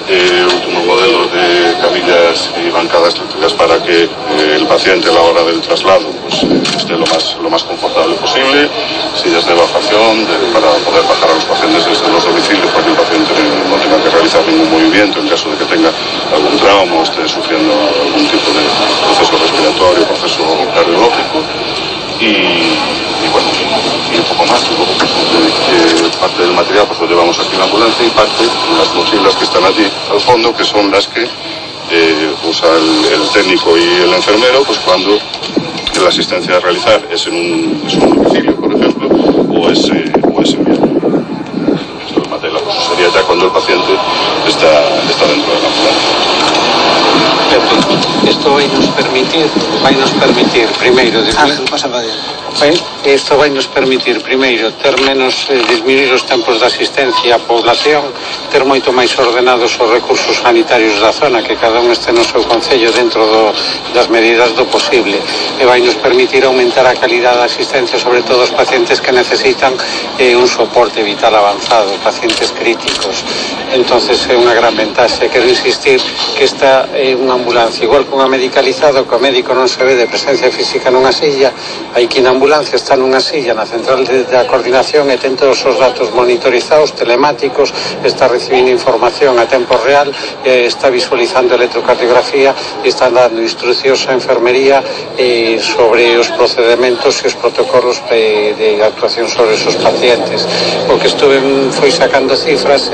Speaker 8: últimos modelos de camillas y bancadas eléctricas para que el paciente a la hora del traslado esté lo más confortable posible, sillas de evacuación para poder bajar a los pacientes desde los domicilios para que el paciente no tenga que realizar ningún movimiento en caso de que tenga algún trauma o esté sufriendo algún tipo de proceso respiratorio, proceso cardiológico. Y un poco más. Parte del material lo llevamos aquí en la ambulancia y parte en las mochilas que están allí al fondo, que son las que usa el técnico y el enfermero cuando la asistencia a realizar es en un domicilio, por ejemplo, o es enviado. Esto es material, sería ya cuando el paciente está dentro de la ambulancia.
Speaker 9: Esto vai nos permitir primeiro
Speaker 10: Ben, isto vai nos permitir, primeiro, ter menos, disminuir os tempos de asistencia á población, ter moito máis ordenados os recursos sanitarios da zona, que cada un este no seu concello dentro das medidas do posible, e vai nos permitir aumentar a calidad da asistencia, sobre todo os pacientes que necesitan un soporte vital avanzado, pacientes críticos. Entonces é unha gran ventaxe. Quero insistir que esta é unha ambulancia, igual que unha medicalizada, que o médico non se ve de presencia física nunha silla, hai que na ambulancia está nunha silla na central da coordinación e ten todos os datos monitorizados, telemáticos, está recibindo información a tempo real, está visualizando electrocardiografía e está dando instruccións á enfermería sobre os procedimentos e os protocolos de actuación sobre esos pacientes. O que estuve foi sacando cifras,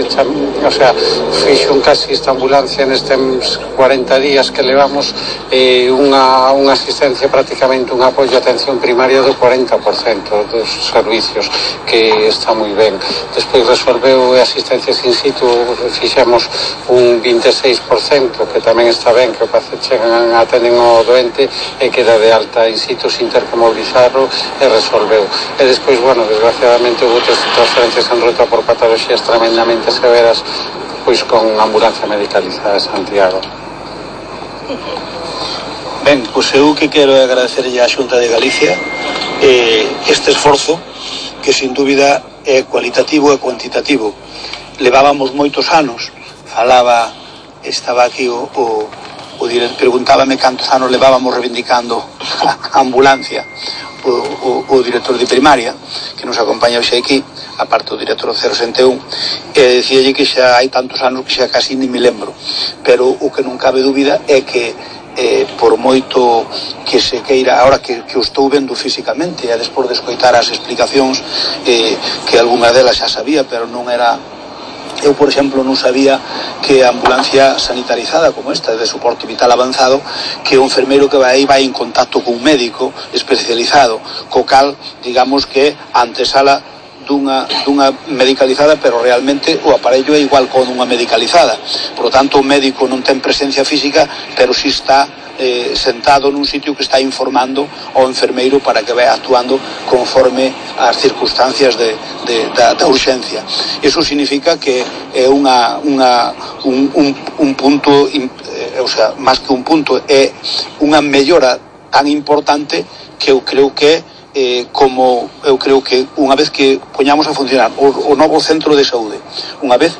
Speaker 10: fixo un casi esta ambulancia nestes 40 días que levamos unha asistencia, prácticamente un apoio a atención primaria do 40% dos servicios, que está moi ben. Despois resolveu asistencias in situ, fixemos un 26%, que tamén está ben, que o paciente chegan, atenden o doente e queda de alta in situ sin ter que mobilizarlo, e resolveu. E despois, desgraciadamente houve outras transferencias en ruta por patologías tremendamente severas, pois con ambulancia medicalizada de Santiago.
Speaker 9: Ben, pois eu que quero agradecerlle á Xunta de Galicia este esforzo, que sin dúbida é cualitativo e cuantitativo. Levábamos moitos anos, estaba aquí o director, preguntábame cantos anos levábamos reivindicando a ambulancia, o director de primaria, que nos acompaña hoxe aquí, aparte do director 061, e dicíalle que xa hai tantos anos que xa casi ni me lembro, pero o que non cabe dúbida é que por moito que se queira, ahora que o estou vendo físicamente e despois de escoitar as explicacións, que algunha delas xa sabía, pero non era. Eu, por exemplo, non sabía que a ambulancia sanitarizada como esta, de soporte vital avanzado, que o enfermeiro que vai en contacto con un médico especializado, co cal, digamos que antesala dunha medicalizada, pero realmente o aparello é igual con unha medicalizada. Por lo tanto, o médico non ten presencia física, pero si está sentado nun sitio que está informando ao enfermeiro para que vai actuando conforme as circunstancias da urxencia. Iso significa que é un punto, máis que un punto, é unha mellora tan importante que eu creo que unha vez que poñamos a funcionar o novo centro de saúde, unha vez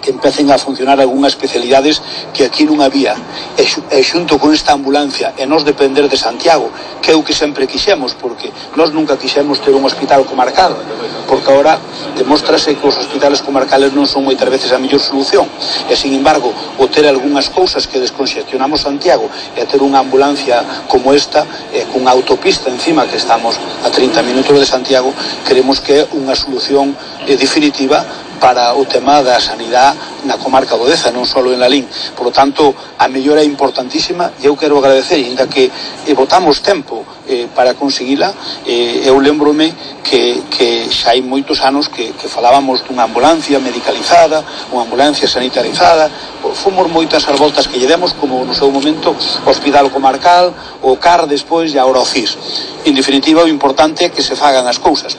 Speaker 9: que empecen a funcionar algunhas especialidades que aquí non había, e xunto con esta ambulancia e nos depender de Santiago, que é o que sempre quixemos, porque nós nunca quixemos ter un hospital comarcal, porque agora demóstrase que os hospitales comarcales non son moitas veces a mellor solución, e sin embargo o ter algunhas cousas que desconxestionamos Santiago e ter unha ambulancia como esta, cunha autopista encima, que estamos a 30 minutos de Santiago, creemos que é unha solución definitiva para o tema da sanidade na comarca do Deza, non só en Lalín. Por lo tanto, a mellora é importantísima e eu quero agradecer, ainda que botamos tempo para conseguila. Eu lembrome que xa hai moitos anos que falábamos dunha ambulancia medicalizada, unha ambulancia sanitarizada, fomos moitas as voltas que lle demos, como no seu momento o Hospital Comarcal, o CAR despois e agora o CIS. En definitiva, o importante é que se fagan as cousas.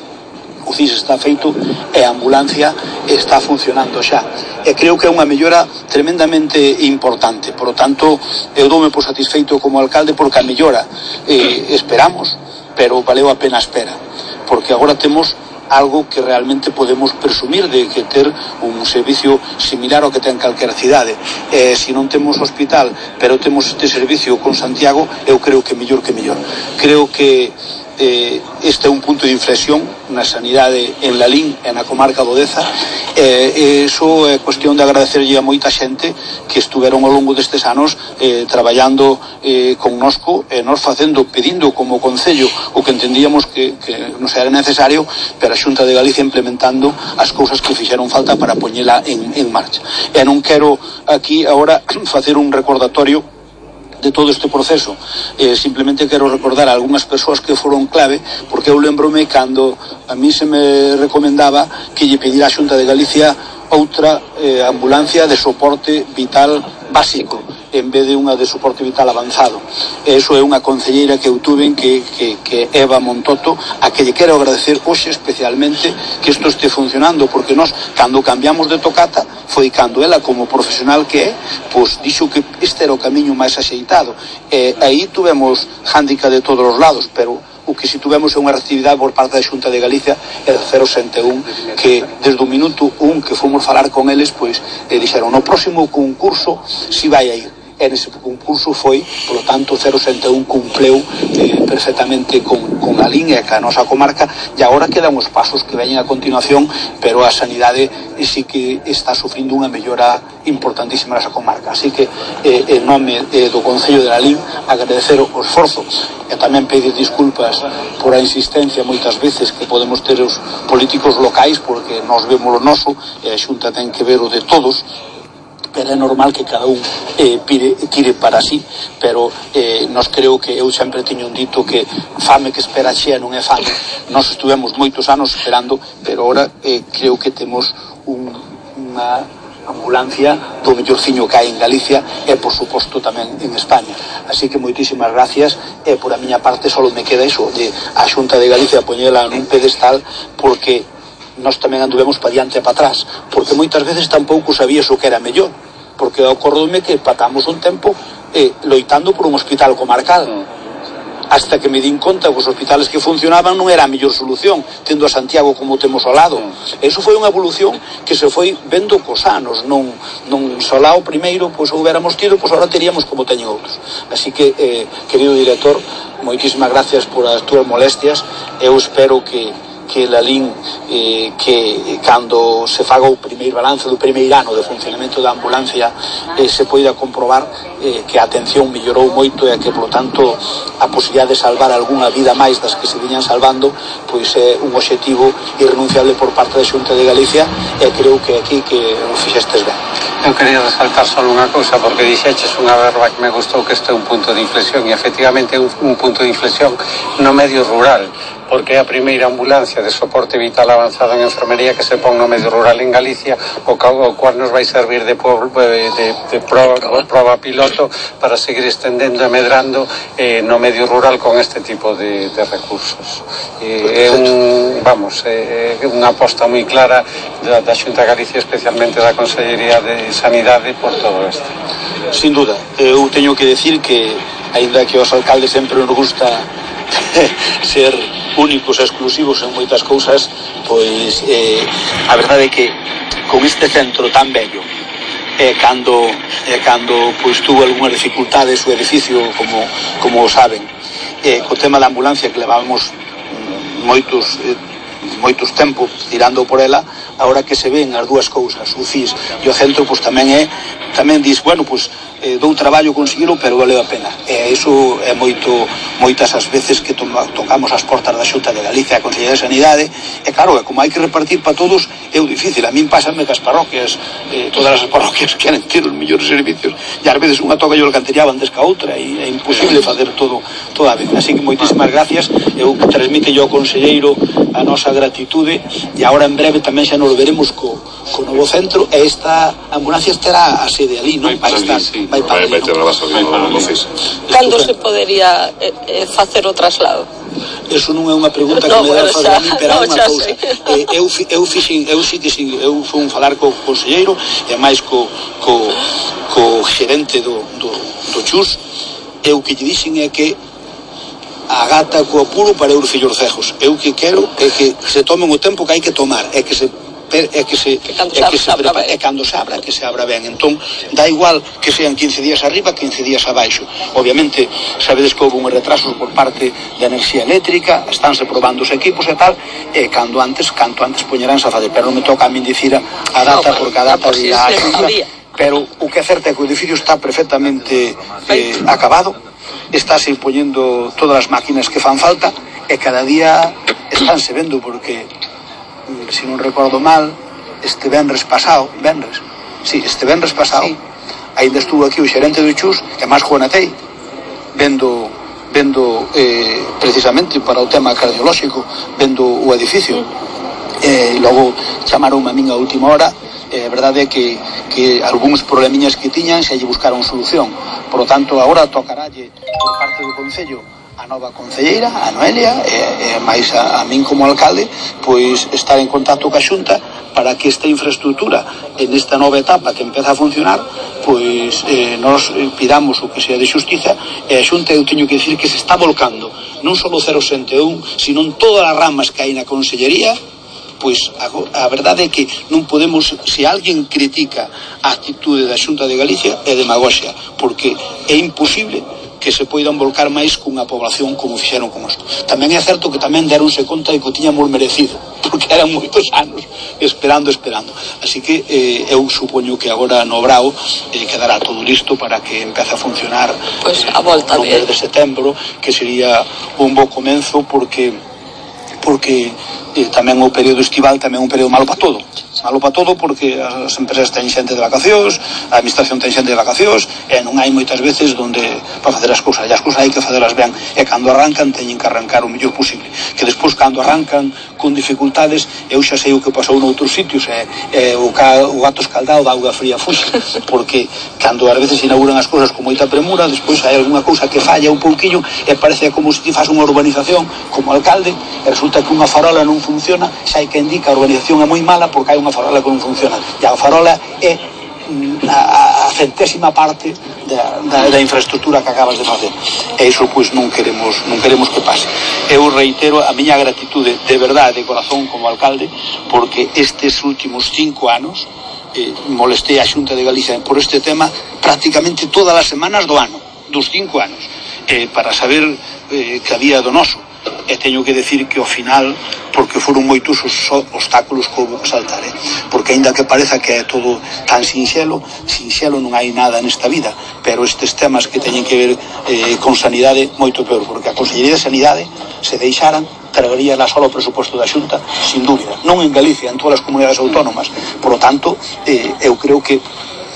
Speaker 9: O CIS está feito e a ambulancia está funcionando xa. E creo que é unha mellora tremendamente importante. Por lo tanto, eu doume por satisfeito como alcalde porque a mellora esperamos, pero valeu a pena a espera. Porque agora temos algo que realmente podemos presumir de que ter un servicio similar ao que ten calquera cidade. Se non temos hospital, pero temos este servicio con Santiago, eu creo que mellor que mellor. Creo que este é un punto de inflexión na sanidade en Lalín e na comarca do Deza. Iso é cuestión de agradecerlle a moita xente que estuveron ao longo destes anos traballando connosco e nos pedindo como concello o que entendíamos que nos era necesario, pero a Xunta de Galicia implementando as cousas que fixeron falta para poñela en marcha. E non quero aquí agora facer un recordatorio de todo este proceso, simplemente quero recordar a algunhas persoas que foron clave, porque eu lembrome cando a mí se me recomendaba que lle pedira a Xunta de Galicia outra ambulancia de soporte vital básico. en vez de unha de soporte vital avanzado. Eso é unha concelleira que eu tuve que Eva Montoto, a que lle quero agradecer hoxe especialmente que isto este funcionando, porque nós, cando cambiamos de tocata, foi cando ela, como profesional que é, pois dixo que este era o camiño máis axeitado. Aí tuvemos hándica de todos os lados, pero o que si tuvemos é unha reactividade por parte da Xunta de Galicia e do 061, que desde o minuto 1 que fomos falar con eles, pois dixeron, no próximo concurso si vai a ir. E nese concurso foi, polo tanto, 061 cumpleu perfectamente con a línea que a nosa comarca, e agora quedan os pasos que veñen a continuación, pero a sanidade sí que está sufrindo unha mellora importantísima nesa comarca. Así que, en nome do Concello de Lalín, agradecer o esforzo e tamén pedir disculpas por a insistencia moitas veces que podemos ter os políticos locais, porque nós vemos o noso e a Xunta ten que ver o de todos, pero é normal que cada un tire para sí, pero nós creo que eu sempre teño un dito que fame que espera chea non é fame. Nós estuvemos moitos anos esperando, pero ahora creo que temos unha ambulancia do mellorciño que hai en Galicia e, por suposto, tamén en España. Así que moitísimas gracias, e por a miña parte só me queda iso, de a Xunta de Galicia poñela nun pedestal, porque nós tamén anduvemos pa diante e pa atrás, porque moitas veces tampouco sabías o que era mellor, porque acordoume que patamos un tempo loitando por un hospital comarcal, hasta que me din conta que os hospitales que funcionaban non era a mellor solución, tendo a Santiago como temos ao lado. Eso foi unha evolución que se foi vendo cos anos, non solá o primeiro, pois houbéramos tido, pois agora teríamos como teñen outros. Así que, querido director, moitísimas gracias por as túas molestias. Eu espero que Lalín, que cando se faga o primeiro balance do primeiro ano de funcionamento da ambulancia, se poida comprobar que a atención mellorou moito e que, polo tanto, a posibilidade de salvar algunha vida máis das que se viñan salvando, pois é un obxectivo irrenunciable por parte da Xunta de Galicia, e creo que aquí que o fixestes ben.
Speaker 10: Eu quería resaltar só unha cousa, porque dixeches unha verba que me gustou, que este é un punto de inflexión, e efectivamente é un punto de inflexión no medio rural, porque é a primeira ambulancia de soporte vital avanzado en enfermería que se pon no medio rural en Galicia, o cual nos vai servir de prova piloto para seguir estendendo e medrando no medio rural con este tipo de recursos. É unha aposta moi clara da Xunta de Galicia, especialmente da Consellería de Sanidade, por todo isto.
Speaker 9: Sin duda, eu teño que decir que, aínda que aos alcaldes sempre nos gusta ser únicos e exclusivos en moitas cousas, pois a verdade é que con este centro tan bello, cando pois tuvo algunhas dificultades o edificio, como o saben, co tema da ambulancia que levábamos moitos tempos tirando por ela, agora que se ven as dúas cousas, o CIS e o centro, pois tamén dis, bueno, pois dou traballo conseguilo, pero valeu a pena. Iso é moitas as veces que tocamos as portas da Xunta de Galicia, a Consellería de Sanidade, e claro, como hai que repartir para todos, é difícil. A min pásame que as parroquias, todas as parroquias queren ter os mellores servicios, e ás veces unha toca e o alcantellaban antes que a outra, e é imposible facer todo a vez. Así que moitísimas gracias. Eu transmite ao conselleiro a nosa gratitude, e agora en breve tamén xa nos veremos co novo centro, e esta ambulancia estará a sede ali, non? Vai ter a base no CIS.
Speaker 11: Cando se podería facer o traslado?
Speaker 9: Eso non é unha pregunta que me dá fazer a mí, pero é unha cousa. Eu fui falar co conselleiro, e máis co xerente do Chus, e o que lle dixen é que a gata co apuro para os fillos cejos. Eu que quero é que se tomen o tempo que hai que tomar, é que cando se abra, que se abra ben. Entón, dá igual que sean 15 días arriba, 15 días abaixo. Obviamente, sabedes que houve un retraso por parte da enerxía eléctrica, estánse probando os equipos e tal, e canto antes poñeránse a fazer, pero non me toca a min dicir a data, porque a data dirá a Xunta, pero o que é certo é que o edificio está perfectamente acabado, estáse poñendo todas as máquinas que fan falta, e cada día estánse vendo, porque se non recordo mal, este venres pasado, ainda estuvo aquí o xerente do Chus e máis Juanatei vendo precisamente para o tema cardiolóxico, vendo o edificio, logo chamaron a min a última hora. A verdade é que algúns problemiñas que tiñan se lle buscaron solución. Por lo tanto, agora tocaralle por parte do Concello a nova concelleira, a Noelia, e máis a min como alcalde, pois estar en contacto ca Xunta para que esta infraestructura en esta nova etapa que empeza a funcionar, pois nos pidamos o que sea de xustiza, e a Xunta, eu teño que dicir que se está volcando non só o 061, sino en todas as ramas que hai na consellería. Pois a verdade é que non podemos, se alguén critica a actitude da Xunta de Galicia, é demagoxia, porque é imposible que se poidan volcar máis cunha población como fixeron con isto. Tamén é certo que tamén deronse conta de que o tiñamos merecido, porque eran moitos anos esperando. Así que eu supoño que agora no Brao quedará todo listo para que empece a funcionar
Speaker 11: a volta
Speaker 9: no mes de setembro, que sería un bo comenzo, porque tamén o período estival tamén é un período malo para todo, porque as empresas ten xente de vacacións, a administración ten xente de vacacións, e non hai moitas veces donde para facer as cousas, e as cousas hai que facelas ben, e cando arrancan teñen que arrancar o mellor posible, que despois cando arrancan con dificultades, eu xa sei o que pasou noutros sitios, o gato escaldado da auga fría fuxe, porque cando ás veces inauguran as cousas con moita premura, despois hai algunha cousa que falla un pouquiño, e parece como se ti faz unha urbanización como alcalde, e resulta que unha farola non funciona, xa hai que indica a urbanización é moi mala porque hai unha farola que non funciona, e a farola é a centésima parte da infraestructura que acabas de facer, e iso pois non queremos que pase. Eu reitero a miña gratitude de verdade, de corazón, como alcalde, porque estes últimos 5 anos molestei a Xunta de Galicia por este tema prácticamente todas as semanas do ano, dos 5 anos, para saber que había do noso. E teño que decir que ao final, porque foron moitos os obstáculos que houve que saltar, porque aínda que pareza que é todo tan sinxelo non hai nada nesta vida, pero estes temas que teñen que ver con sanidade, moito peor, porque a Consellería de Sanidade, se deixaran, traería la solo presupuesto da Xunta, sin dúbida, non en Galicia, en todas as comunidades autónomas. Por lo tanto, eu creo que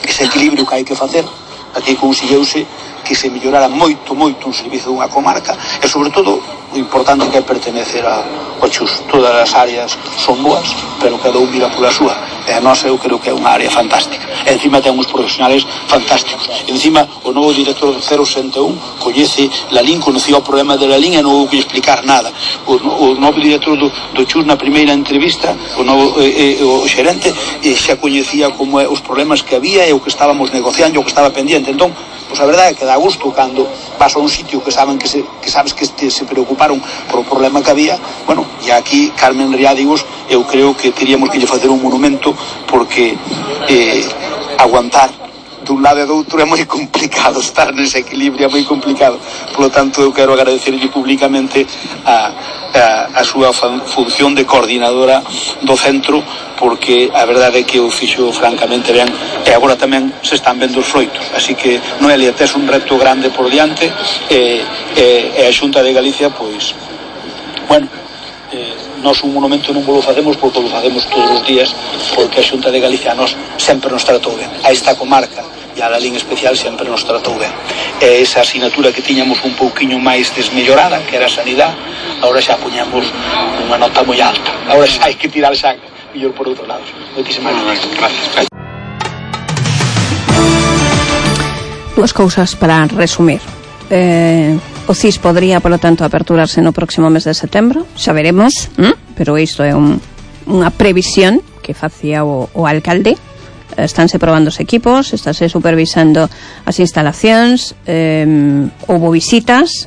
Speaker 9: ese equilibrio que hai que facer aquí conseguiuse que se mellorara moito un servizo dunha comarca, e sobre todo o importante que é pertenecer ao Chus. Todas as áreas son boas, pero cada un mira pola súa, e a nosa eu creo que é unha área fantástica, e encima ten uns profesionales fantásticos, e encima o novo director do 061 coñece Lalín, conocía o problema de Lalín e non houve que explicar nada. O novo director do Chus, na primeira entrevista, o xerente xa coñecía como os problemas que había e o que estábamos negociando, o que estaba pendiente. Entón, pois a verdade é que dá gusto cando vas a un sitio que sabes que se preocuparon por o problema que había. Bueno, e aquí Carmen Riádigos, eu creo que teríamos que lle facer un monumento, porque aguantar dun lado e do outro é moi complicado, estar nese equilibrio é moi complicado. Por lo tanto, eu quero agradecerlle públicamente a súa función de coordinadora do centro, porque a verdade é que o fixo francamente ben, e agora tamén se están vendo os froitos. Así que, Noelia, tes un reto grande por diante, e a Xunta de Galicia, pois, bueno, nós un monumento non lo facemos porque lo facemos todos os días, porque a Xunta de Galicia nos sempre nos tratou ben, a esta comarca e a Lalín especial sempre nos tratou ben, e esa asignatura que tiñamos un pouquiño máis desmellorada, que era a sanidade, agora xa poñamos unha nota moi alta, agora xa hai que tirar xa mellor por outro lado. Moitísimas gracias.
Speaker 4: Duas cousas para resumir. O CIS podría, polo tanto, aperturarse no próximo mes de setembro, xa veremos, pero isto é unha previsión que facía o alcalde. Estánse probando os equipos, estáse supervisando as instalacións, houbo visitas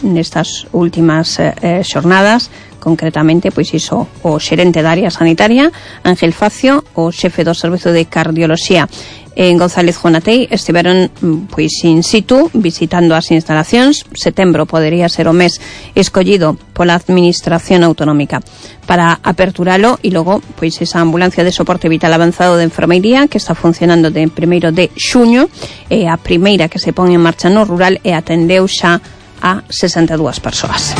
Speaker 4: nestas últimas xornadas, concretamente, pois iso, o xerente da área sanitaria, Ángel Facio, o xefe do Servizo de Cardioloxía en González Jonatei, estiveron pois in situ visitando as instalacións. Setembro podería ser o mes escollido pola Administración Autonómica para aperturalo, e logo pois esa ambulancia de soporte vital avanzado de enfermería que está funcionando de 1 de xuño, é a primeira que se pon en marcha no rural e atendeu xa a 62 persoas.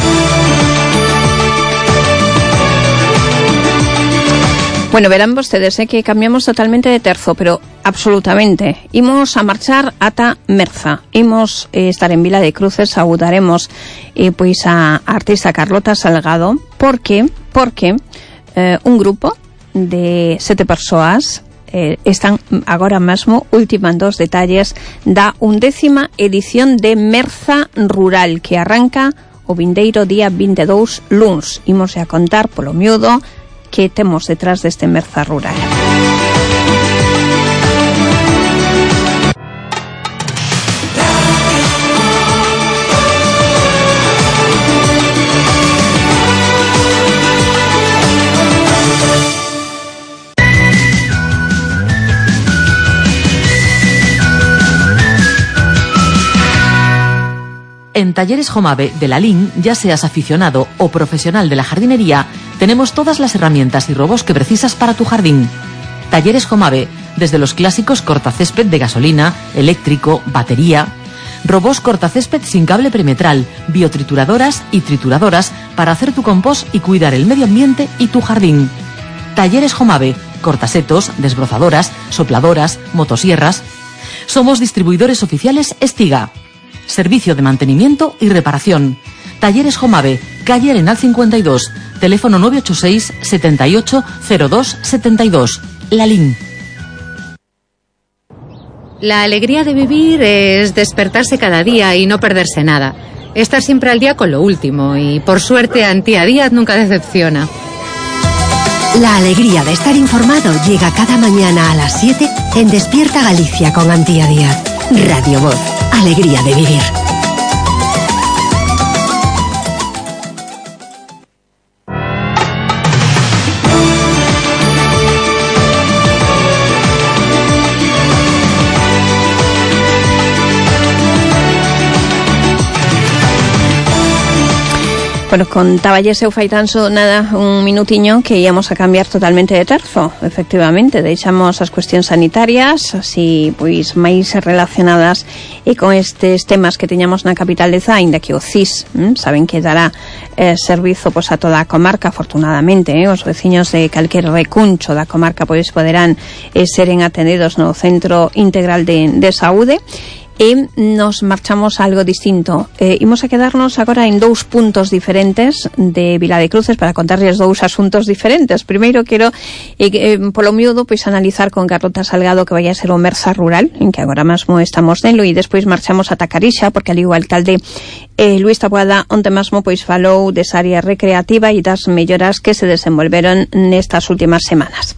Speaker 4: Bueno, verán vostedes que cambiamos totalmente de terzo, pero absolutamente. Imos a marchar ata Merza. Imos estar en Vila de Cruces, saúdaremos pois a artista Carlota Salgado, porque un grupo de 7 persoas están agora mesmo ultimando os detalles da 11ª edición de Merza Rural, que arranca o vindeiro día 22 luns. Imos a contar polo miúdo que temos detrás deste Merza Rural.
Speaker 12: En Talleres Jomave de la LIN, ya seas aficionado o profesional de la jardinería, tenemos todas las herramientas y robots que precisas para tu jardín. Talleres Jomave, desde los clásicos cortacésped de gasolina, eléctrico, batería, robots cortacésped sin cable perimetral, biotrituradoras y trituradoras para hacer tu compost y cuidar el medio ambiente y tu jardín. Talleres Jomave, cortasetos, desbrozadoras, sopladoras, motosierras. Somos distribuidores oficiales Estiga. Servicio de mantenimiento y reparación. Talleres Jomave, calle Arenal 52, teléfono 986 78 02 72. La LIN.
Speaker 2: La alegría de vivir es despertarse cada día y no perderse nada. Estar siempre al día con lo último y, por suerte, Antía Díaz nunca decepciona.
Speaker 1: La alegría de estar informado llega cada mañana a las 7 en Despierta Galicia con Antía Díaz. Radio Voz. Alegría de vivir.
Speaker 4: Bueno, contáballes eu fai tan só nada un minutiño que íamos a cambiar totalmente de terzo. Efectivamente, deixamos as cuestións sanitarias, así pois máis relacionadas e con estes temas que teñamos na capital de Zainda, que o CIS, saben que dará servizo pois a toda a comarca, afortunadamente, os veciños de calquer recuncho da comarca pois poderán seren atendidos no Centro Integral de Saúde. E nos marchamos a algo distinto. Imos a quedarnos agora en 2 puntos diferentes de Vila de Cruces para contarles 2 asuntos diferentes. Primeiro quero, polo miúdo, pois analizar con Carlota Salgado que vai a ser o Merza Rural, en que agora mesmo estamos nelo, e despois marchamos a Tacarixa, porque ali o alcalde Luís Taboada onte mesmo pois falou desa área recreativa e das melloras que se desenvolveron nestas últimas semanas.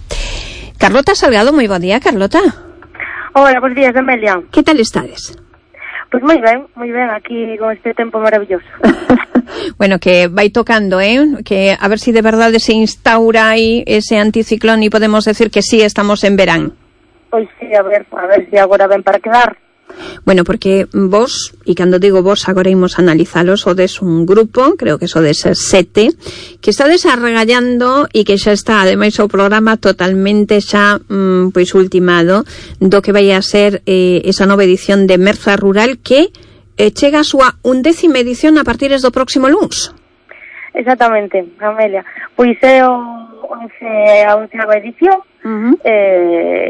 Speaker 4: Carlota Salgado, moi bo día, Carlota.
Speaker 13: Hola, bons días, Amelia.
Speaker 4: Que tal estades?
Speaker 13: Pois moi ben, aquí con este tempo maravilloso.
Speaker 4: Bueno, que vai tocando, que a ver si de verdade se instaura aí ese anticiclón e podemos decir que sí, estamos en verán.
Speaker 13: Pois sí, a ver si agora ven para quedar.
Speaker 4: Bueno, porque vos, e cando digo vos, agora imos analizalos, sodes un grupo, creo que sodes 7, que estades arregallando e que xa está, ademais, o programa totalmente xa pois ultimado do que vai a ser esa nova edición de Merza Rural que chega a súa 11ª edición a partir do próximo luns.
Speaker 13: Exactamente, Amelia. Pois é a 11ª edición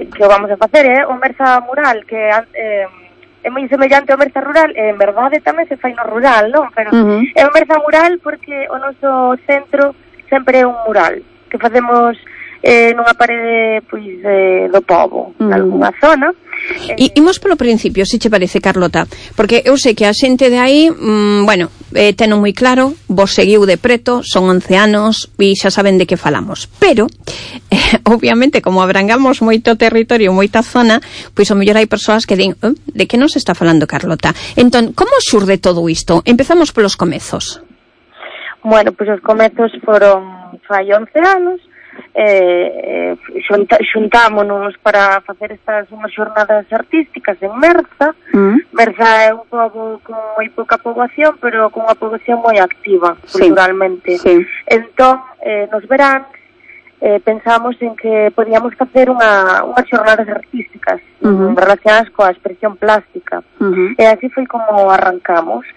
Speaker 13: que o vamos a facer, o Merza Mural, que é moi semellante ao Merza Rural, e en verdade tamén se fai no rural, non? Pero é o Merza Mural porque o noso centro sempre é un mural que facemos nunha parede pois do pobo, en algunha zona.
Speaker 4: E imos polo principio, se che parece, Carlota, porque eu sei que a xente de aí, teno moi claro, vos seguiu de preto, son 11 anos e xa saben de que falamos, pero obviamente, como abrangamos moito territorio, moita zona, pois o mellor hai persoas que din, de que nos está falando Carlota? Entón, como xurde todo isto? Empezamos polos comezos.
Speaker 13: Bueno, pois os comezos foron fai 11 anos, xuntámonos para facer estas unhas xornadas artísticas en Merza. Merza é un pobo con moi pouca poboación, pero con unha poboación moi activa culturalmente. Entón, nos verán pensamos en que podíamos facer unhas xornadas artísticas relacionadas coa expresión plástica, e así foi como arrancamos.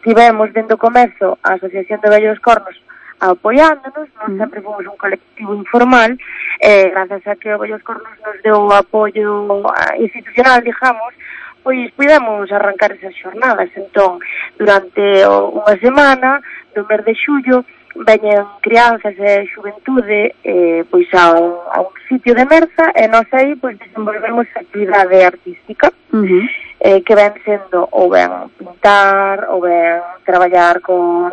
Speaker 13: Tivemos dentro do comezo a Asociación de Vellos Cornos apoiándonos, nós sempre fomos un colectivo informal, grazas a que o Vellos Cornos nos deu o apoio institucional, digamos, pois pudemos arrancar esas xornadas. Entón, durante unha semana do mes de xullo, veñen crianzas e xuventude pois a un sitio de Merza e nós aí pois desenvolvemos actividade artística que ven sendo ou ben pintar ou ben traballar con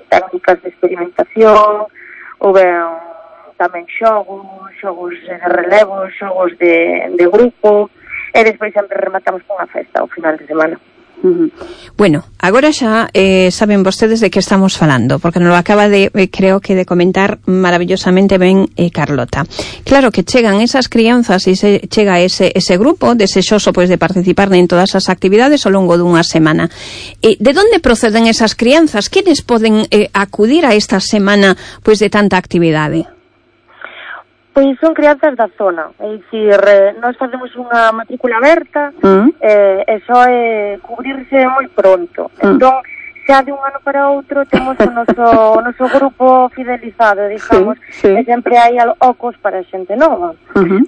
Speaker 13: técnicas de experimentación ou ben tamén xogos de relevo, xogos de grupo e despois sempre rematamos con unha festa ao final de semana.
Speaker 4: Bueno, agora xa saben vostedes de que estamos falando, porque nos lo acaba de, creo que de comentar maravillosamente ben Carlota. Claro que chegan esas crianzas e chega ese grupo desexoso pois de participar en todas as actividades ao longo dunha semana. De onde proceden esas crianzas? Quenes poden acudir a esta semana pois de tanta actividade?
Speaker 13: Pois son crianzas da zona, é dicir, nós facemos unha matrícula aberta e só é cubrirse moi pronto. Entón, xa de un ano para outro temos o noso grupo fidelizado, digamos, e sempre hai ocos para xente nova.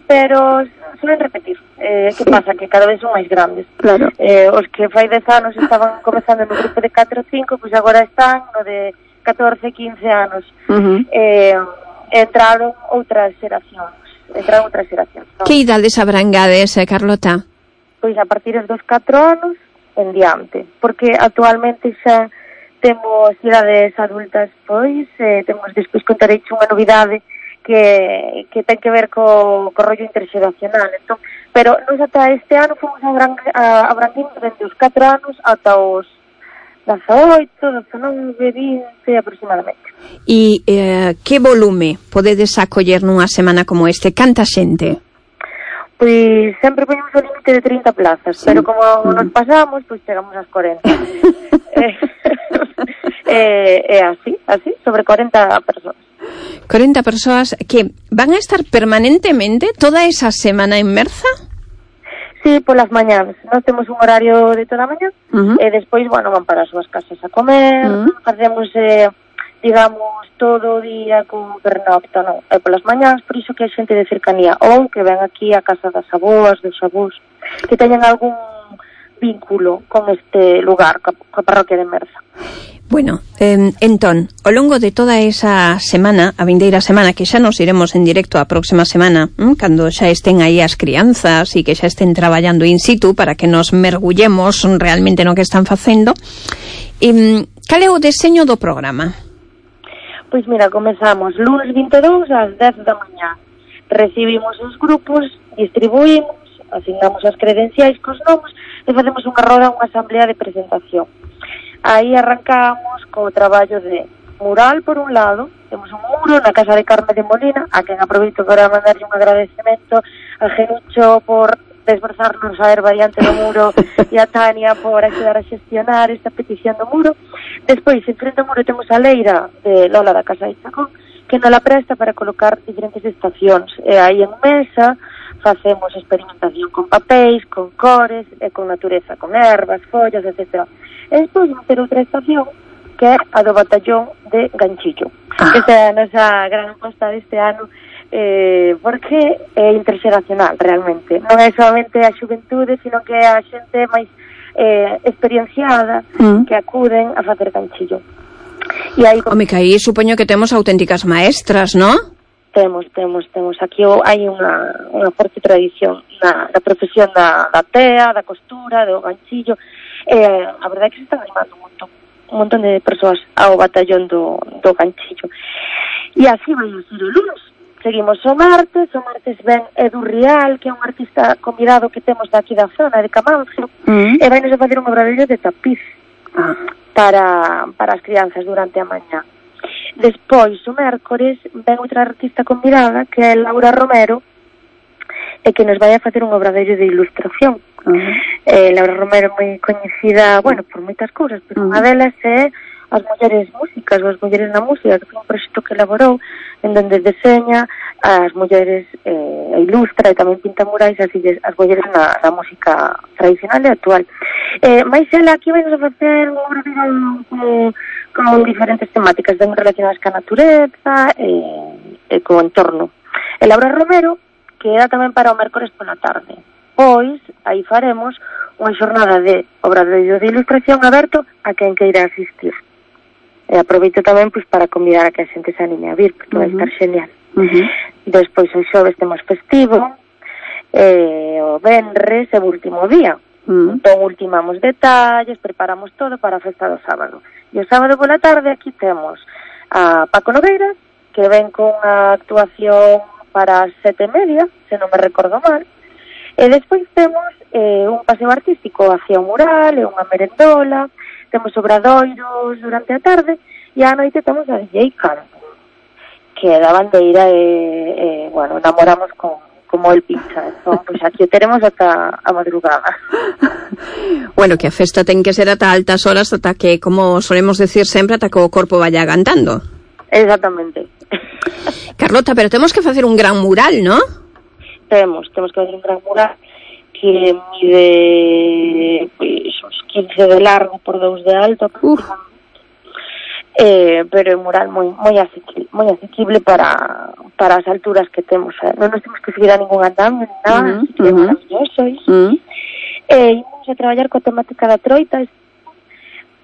Speaker 13: Pero suelen repetir. Que pasa? Que cada vez son máis grandes.
Speaker 4: Claro.
Speaker 13: Os que fai 10 anos estaban comezando no grupo de 4 ou 5, pois agora están no de 14, 15 anos. Entraron outras xeracións. ¿No?
Speaker 4: Que idades abrangades, Carlota?
Speaker 13: Pois a partir dos 4 anos en diante, porque actualmente xa temos idades adultas, pois temos despois contareiche unha novidade que ten que ver co rollo interxeracional. Entón, pero nos ata este ano fomos abrangindo dende os 4 anos ata os 18, 19, 20 aproximadamente.
Speaker 4: E que volume podedes acoller nunha semana como este? Canta xente?
Speaker 13: Pois sempre poñemos o límite de 30 plazas, pero como nos pasamos, pois chegamos ás 40. así, sobre 40 persoas.
Speaker 4: 40 persoas que van a estar permanentemente toda esa semana en Merza?
Speaker 13: Sí, polas mañáns. Nós temos un horario de toda a mañá e despois, bueno, van para as súas casas a comer, facemos, digamos, todo o día con pernocta, non? E polas mañáns, por iso que hai xente de cercanía ou que ven aquí a casa das aboas, dos avós, que teñen algún vínculo con este lugar, coa parroquia de Merza.
Speaker 4: Bueno, entón, ao longo de toda esa semana, a vindeira semana, que xa nos iremos en directo a próxima semana, cando xa estén aí as crianzas e que xa estén traballando in situ para que nos mergullemos realmente no que están facendo, cal é o deseño do programa?
Speaker 13: Pois mira, comezamos lunes 22 ás 10 da mañá. Recibimos os grupos, distribuímos, asignamos as credenciais cos nomes e facemos unha roda, unha asamblea de presentación. Aí arrancamos co traballo de mural, por un lado, temos un muro na casa de Carme de Molina, a quen aproveito para mandarlle un agradecemento a Genucho por desbrozarnos a erva diante do muro e a Tania por axudar a xestionar esta petición do muro. Despois, en frente ao muro temos a leira de Lola da Casa de Chacón, que nos la presta para colocar diferentes estacións. E aí en mesa facemos experimentación con papéis, con cores e con natureza, con ervas, follas, etc. E despois vamos ter outra estación que é a do batallón de Ganchillo. Esta é a nosa gran aposta deste ano, porque é interxeracional realmente. Non é solamente a xuventude, sino que é a xente máis experienciada que acuden a facer Ganchillo. E aí,
Speaker 4: home, que aí supoño que temos auténticas maestras, non?
Speaker 13: Temos. Aquí hai unha forte tradición na profesión da tea, da costura, do ganchillo. A verdade é que se están animando un montón de persoas ao batallón do ganchillo. E así vai a ser o lunes. Seguimos o martes ven Edu Rial, que é un artista convidado que temos daqui da zona de Camancio, e vai nos a facer un obradoiro de tapiz para as crianzas durante a mañá. Despois, o mércores, ven outra artista convidada, que é Laura Romero, e que nos vai a facer un obradoiro de ilustración. Laura Romero é moi coñecida, bueno, por moitas cousas, pero unha delas é as mulleres músicas, ou as mulleres na música, que foi un proxecto que elaborou en donde deseña as mulleres e ilustra e tamén pinta murais as mulleres na música tradicional e actual. Mais ela aquí vai nos a facer un obradoiro con diferentes temáticas ben relacionadas ca natureza e co entorno. E Laura Romero queda tamén para o mércores pola tarde. Pois, aí faremos unha xornada de obradoiro de ilustración aberto a quen queira asistir. E aproveito tamén pois para convidar a que a xente se anime a vir, porque vai estar genial. Despois o xoves temos festivo, o venres é o último día. Entón ultimamos detalles, preparamos todo para a festa do sábado. E o sábado pola tarde aquí temos a Paco Nogueira, que ven con a actuación para as 7:30, se non me recordo mal. E despois temos un paseo artístico hacia o mural e unha merendola, temos obradoiros durante a tarde e á noite temos a DJ Campo, que da bandeira bueno, namoramos como el pincha. Entón, pois aquí o teremos ata a madrugada.
Speaker 4: Bueno, que a festa ten que ser ata altas horas, ata que, como solemos decir sempre, ata que o corpo vaya cantando.
Speaker 13: Exactamente.
Speaker 4: Carlota, pero temos que facer un gran mural, ¿no?
Speaker 13: Temos que facer un gran mural que mide uns 15 de largo por 2 de alto, pero é un mural moi asequible para as alturas que temos. Non nos temos que seguir a ningún andamio ni nada, así que é maravilloso iso. Imos a traballar coa temática da troita,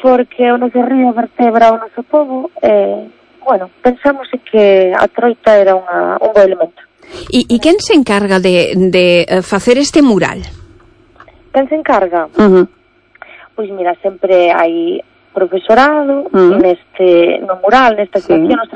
Speaker 13: porque o noso río vertebra o noso pobo. Bueno, pensamos que a troita era un bo elemento.
Speaker 4: E quen se encarga de facer este mural?
Speaker 13: Quen se encarga? Pois mira, sempre hai profesorado no mural, nesta actuación. Nos